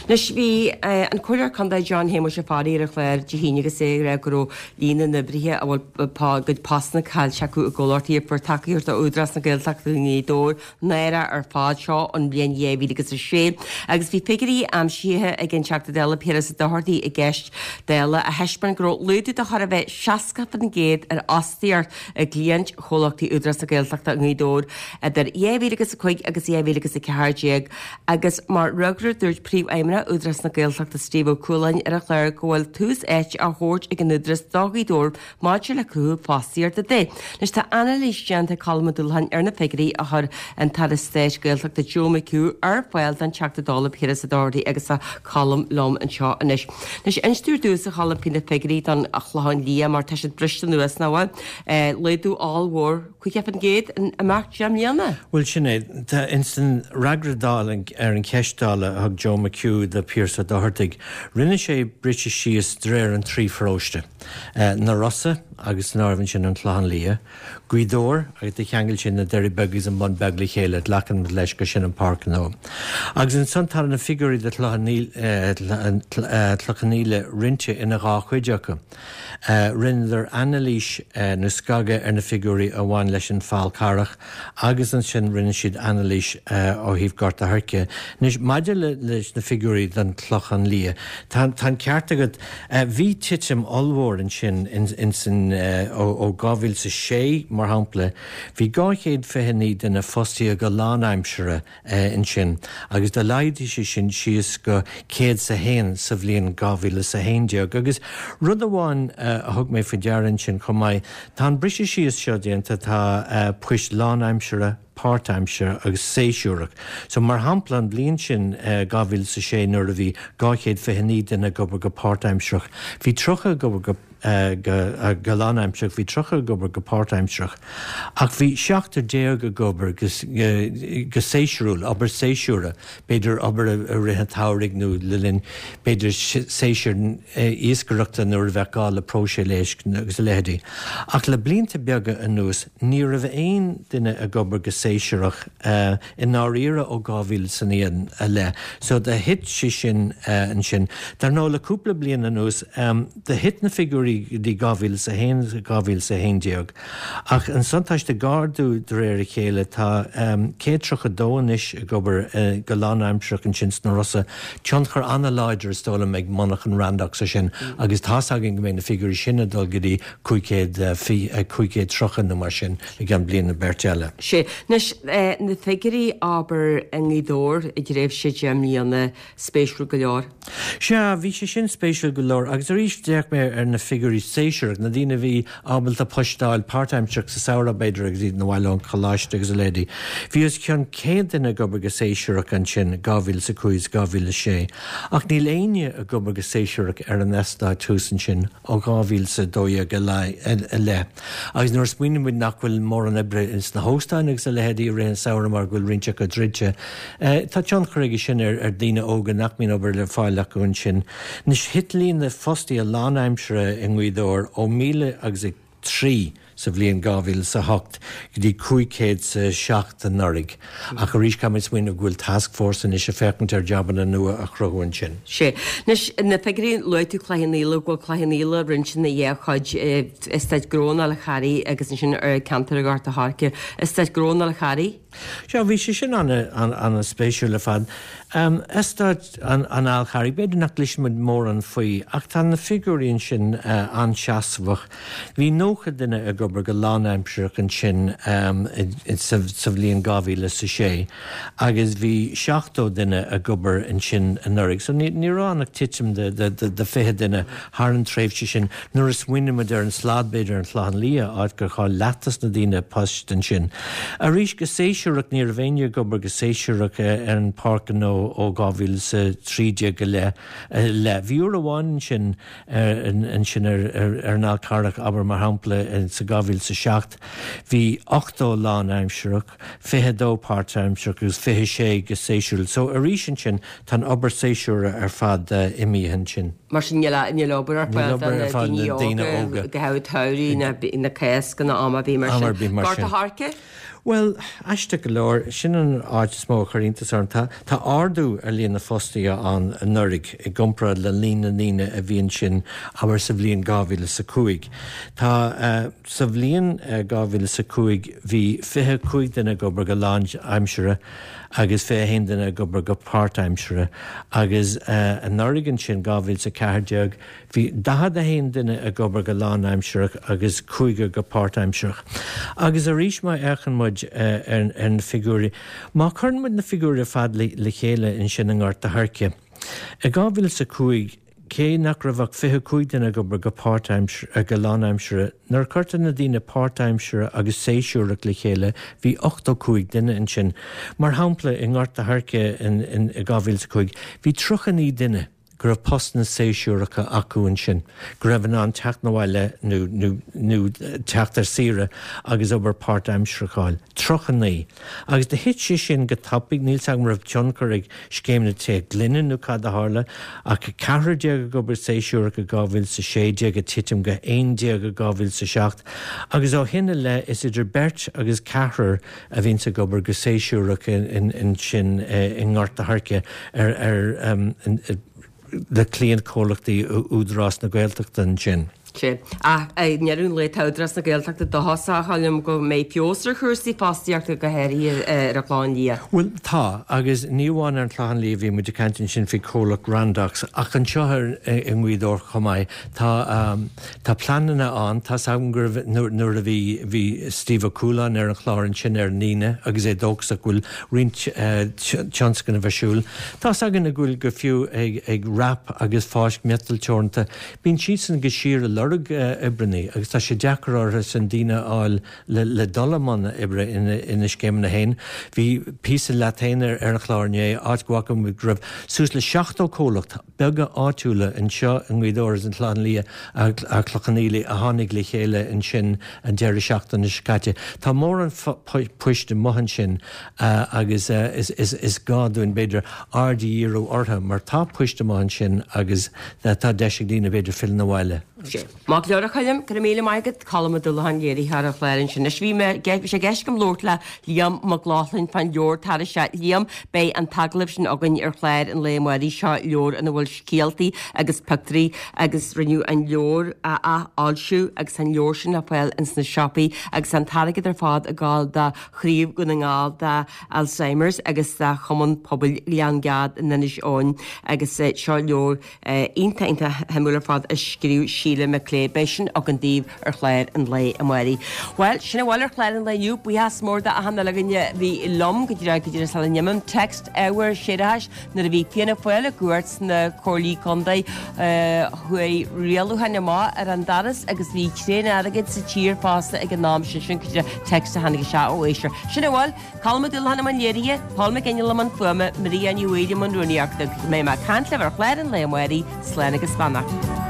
S1: Anois bhí an Comhairleoir Contae John Shéamuis Ó Fearraigh ar an chlár Dé hAoine agus é ag rá go raibh líon na n-oibrithe a bhfuil gcuid postanna caillte acu i gcomhlachtaí a fuair tacaíocht ó Údarás na Gaeltachta i nGaoth Dobhair náireach ar fad seo an bhliain dhá mhíle agus a sé, agus bhí figiúirí aimsithe ag an Teachta Dála Piaras Ó Dochartaigh i gceist Dála a thaispeáin go raibh laghdú de chóir a bheith seasca seasca faoin gcéad ar fhostaíocht i gcliaint chomhlachtaí Údarás na Gaeltachta i nGaoth Dobhair idir dhá mhíle agus a cúig agus dhá mhíle agus a ceathair déag agus mar fhreagra dúirt Príomhfheidhmeannach Údarás na Gaeltachta Steve Ó Cualáin ar an chlár go bhfuil tús áite á thabhairt ag an Údarás do Ghaoth Dobhair maidir le cruthú fostaíochta de. Anois tá anailís déanta ag Colm Ó Dúlacháin ar na figiúirí a chuir an tAire Stáit Gaeltachta Joe McHugh ar fáil don Teachta Dála Piaras Ó Dochartaigh agus tá Colm liom anseo anois. Anois inis ar dtús a Cholm faoi na figiúirí don Chlochán Liath mar tá siad briste anuas nach bhfuil. Laghdú ollmhór caoga faoin gcéad in imeacht deich mbliana.
S7: Bhuel sin é, tá insan fhreagra Dála ar an cheist Dála a thug Joe McHugh do Pearse Ó Dochartaigh, rinne sé briseadh síos de réir an trí pharóiste. Na Rosa agus san áireamh ansin an Clochán Liath, Gaoth Dobhair agus do cheangail sin na Doirí Beaga agus an Bun Beag le chéile, glacann leis gur sin an Páirc Ghnó. Agus ansan tá na figiúirí do Chlochán Íle roinnte ina dhá chuid acu. Rinneadar anailís nó scagadh ar na figiúirí a bhain leis an Fál Carrach agus ansin rinne siad anailís ó thaobh Gort a' Choirce. Anois maidir leis na figiúirí don Chlochán Liath, tá an ceart agat, bhí titim ollmhór ansin insan ó dhá mhíle is a sé mar shampla, bhí dhá chéad fiche naoi duine fostaithe go lánaimseartha ansin agus do laghdaigh sé sin síos go céad is a haon sa bhliain dhá mhíle is a haon déag. Agus rud amháin a thug mé faoi deara ansin chomh maith, tá an briseadh síos seo déanta, tá poist lánaimseartha, páirtaimseartha agus séasúrach. So mar shampla an bhliain sin dhá mhíle is a sé nuair a bhí dhá chéad fiche naoi duine ag obair go páirtaimsearach, bhí tríocha ag obair go go lánaimsearach, bhí tríocha ag obair go páirtaimsearach, ach bhí seachtar déag ag obair go go séasúrúil, obair séasúrach, b'fhéidir obair i rith an tsamhraidh nó le linn b'fhéidir séasúr iascaireachta nuair a bheadh gá le próiseáil éisc agus a leithéidí. Ach le blianta beaga anuas ní raibh aon duine ag obair go séasúrach i ndáiríre ó dhá mhíle is a naoi i leith. So do thit sé sin ansin. Dar ndóigh le cúpla bliain anuas do thit na figiúirí go dtí dhá mhíle is a haon dhá mhíle is a haon déag. Ach ansan tá siad ag ardú de réir a chéile, tá céad tríocha dó anois ag obair go lánaimsearach ansin sna Rosa. Tionchar an-láidir is dóigh liom ag monarchan Randox ar sin agus tá's againn go mbeidh na figiúirí sin ag dul go dtí cúig chéad cúig chéad tríocha nó mar sin i gceann bliain nó beirt eile.
S1: Sea. Anois, na figiúirí abair i nGaoth Dobhair i dtréimhse deich mbliana spéisiúil go leor.
S7: Sea, bhí sé sin spéisiúil go leor agus arís d'fhéach mé ar na figiúirí séasúrach, na daoine a bhí ábalta poist a fháil páirtaimsearach sa samhradh b'fhéidir agus iad 'na bhaile ón choláiste agus a leithéidí. Bhí os cionn céad duine ag obair go séasúrach ansin dhá mhíle is a cúig is dhá mhíle is sé, ach níl éinne ag obair go séasúrach ar an eastát thuas ansin ó dhá mhíle is a dó dhéag i leith. Agus nuair a smaoiníonn muid nach bhfuil mórán oibre ins na hóstáin agus a leithéidí i rith an samhradh mar go bhfuil roinnt acu druidte, tá tionchar aige sin ar ar daoine óga nach mbíonn obair le fáil acu ansin. Anois thit líon na fostaithe lánaimseartha i nGaoth Dobhair ó míle agus a trí sa bhliain dhá mhíle is a hocht go dtí cúig chéad is a seacht anuraidh. Ach arís caithfidh muid smaoineamh go bhfuil taskforce anois ag féachaint ar jabanna nua a chruthú ansin.
S1: Sea. Anois, na figiúirí, luaigh tú Cloich Cheann Fhaola, go bhfuil Cloich Cheann Fhaola roinnte ina dhá chuid, Eastát Gnó an Fháil Charraigh agus ansin ar ceantar Ghort a' Choirce. Eastát Gnó an Fháil Charraigh?
S7: Sea, bhí sé sin an-spéisiúil ar fad. Eastát an Fháil Charraigh, b'fhéidir nach gcloiseann muid mórán faoi, ach tá na figiúirí ansin an-seasmhach. Bhí nócha duine ag obair go lánaimsearach ansin sa bhliain dhá mhíle is a sé agus bhí seachtó duine ag obair ansin anuraidh. So ní raibh ann ach titim de fiche duine thar an tréimhse sin. Nuair a smaoiníonn muid ar an slad, b'fhéidir, ar an Chlochán Liath, áit gur chaill leath des na daoine poist ansin. Arís, go séasúrach, ní raibh éinne ag obair go séasúrach ar an Pháirc Ghnó ó dhá mhíle is a trí déag i leith. Bhí uair amháin ansin ansin ar an Fhál Carrach, abair mar shampla, sa dhá mhíle is a seacht, bhí ochtó lánaimsearach, fiche a dó páirtaimsearach agus fiche a sé go séasúrúil. So arís ansin, tá an obair séasúrach ar fad imithe ansin.
S1: Mar sin níl níl obair ar fáil do na daoine óga go háirithe samhradh na Cásca nó am ar bith mar sin. Gort a' Choirce?
S7: Bhuel, aisteach go leor, sin an áit is mó a chuir iontas orm. Tá tá ardú ar líon na fostaithe ann anuraidh i gcomparáid le líon na ndaoine a bhí ansin abair sa bhliain dhá mhíle is a cúig. Tá sa bhliain dhá mhíle is a cúig bhí fiche cúig duine ag obair go lánaimseartha agus fiche a haon duine ag obair go páirtaimseartha agus anuraidh ansin dhá mhíle is a ceathair ceathair déag, bhí daichead a haon duine ag obair go lánaimsearach agus cúigear go páirtaimsearach. Agus arís má fhéachann muid ar na figiúirí, má chuireann muid na figiúirí ar fad le chéile ansin i nGort a' Choirce, i dhá mhíle is a cúig, cé nach raibh ach fiche cúig duine ag obair go páirtaimseartha, go lánaimseartha, nuair a chuirtear na daoine páirtaimseartha agus séasúrach le chéile, bhí ochtó cúig duine ansin. Mar shampla, i nGort a' Choirce in dhá mhíle is a cúig, bhí tríocha naoi duine go raibh postanna séasúracha acu ansin, go raibh in ann teacht 'na bhaile nó nó teacht ar saoire agus obair páirtaimseartha a fháil. tríocha naoi. Agus do thit sé sin go tapaidh, níl 's agam raibh tionchar ag scéim na tithe gloine nó cad a tharla, ach ceathrar déag ag obair séasúrach i dhá mhíle is a sé déag ag titim go haon déag i dhá mhíle is a seacht, agus ó shin i leith is idir beirt agus ceathrar a bhíonns ag obair go séasúrach ansin i nGort a' Choirce ar ar le cliantchomhlachtaí Údarás na Gaeltachta ansin.
S1: Sea. Ach i ndeireadh an lae tá Údarás na Gaeltachta dóchasach, a Choilm, go mbeidh feabhas ar chúrsaí fostaíochta, go háirithe ar an Chlochán Liath.
S7: Bhuel, tá, agus ní amháin ar an Chlochán Liath, bhí muid ag caint ansin faoi chomhlacht Randox, ach anseo i nGaoth Dobhair chomh maith, tá, tá pleananna ann, tá's agam go raibh, nuair a bhí, bhí Steve Ó Cualáin ar an chlár ansin ar an Aoine agus é dóchasach go bhfuil roinnt tionscnamh ar siúl. Tá's againn go bhfuil go fiú ag, ag WRAP agus Fáisc Miotail Teoranta, Bíonn siadsan de shíor ag lorg oibreannaí agus tá sé deacair orthu san daoine a fháil le dul i mbun oibre ina scéimeanna féin. Bhí píosa leat féin ar an chlár inné, áit go bhfaca muid go raibh suas le seachtó comhlacht beaga áitiúla anseo i nGaoth Dobhair agus an Clochán Liath agus Cloich Cheann Fhaola a tháinig le chéile ansin an deireadh seachtaine seo caite. Tá mórán poist amuigh ansin agus is gá dúinn, b'fhéidir, aird a dhíriú orthu mar tá poist amuigh ansin agus tá deis ag daoine b'fhéidir filleadh 'na bhaile.
S1: Sea. Maith go leor a Choilm, go raibh míle maith agat. Colm Ó Dúlacháin, léiritheoir an chláir ansin. Anois bhí mé, bhí sé i gceist agam labhairt le Liam Mac Lochlainn fán leabhar atá tar éis. Liam, beidh an t-agallamh sin againn ar chlár an lae amáirigh seo, leabhar ina bhfuil scéaltaí agus pictiúirí agus rinneadh an leabhar a athfhoilsiú agus an leabhar sin le fáil ins na siopaí agus an t-airgead ar fad ag gabháil do Chraobh Dhún na nGall do Alzheimer's agus do Chumann Pobail Ghleann Gad in Inis Eoghain agus seo leabhar iontach iontach shuimiúil ar fad a scríobh Síle McClay. Beidh sin againn daoibh ar chlár an lae amáirigh. Bhuel, sin a bhfuil ar chlár an lae inniu. Buíochas mór do achan uile dhuine a bhí liom go dtí go dtí sula n-imím. Text ábhar séarachais nuair a bhí Fianna Fáil i gcumhacht sna comhairlí contae chuaigh rialúcháin amach ar an doras agus bhí tréan airgid sa tír fosta ag an am sin. Sin cuid de text a tháinig isteach ó éisteoir. Sin a bhfuil. Colm Ó Dúlacháin i mbun léirithe, Paul McGinley i mbun fuaime, Maria Ní Bhaoill i mbun rúnaíochta. Go mbeidh mé ag caint libh ar chlár an lae amáirigh, slán agus beannacht.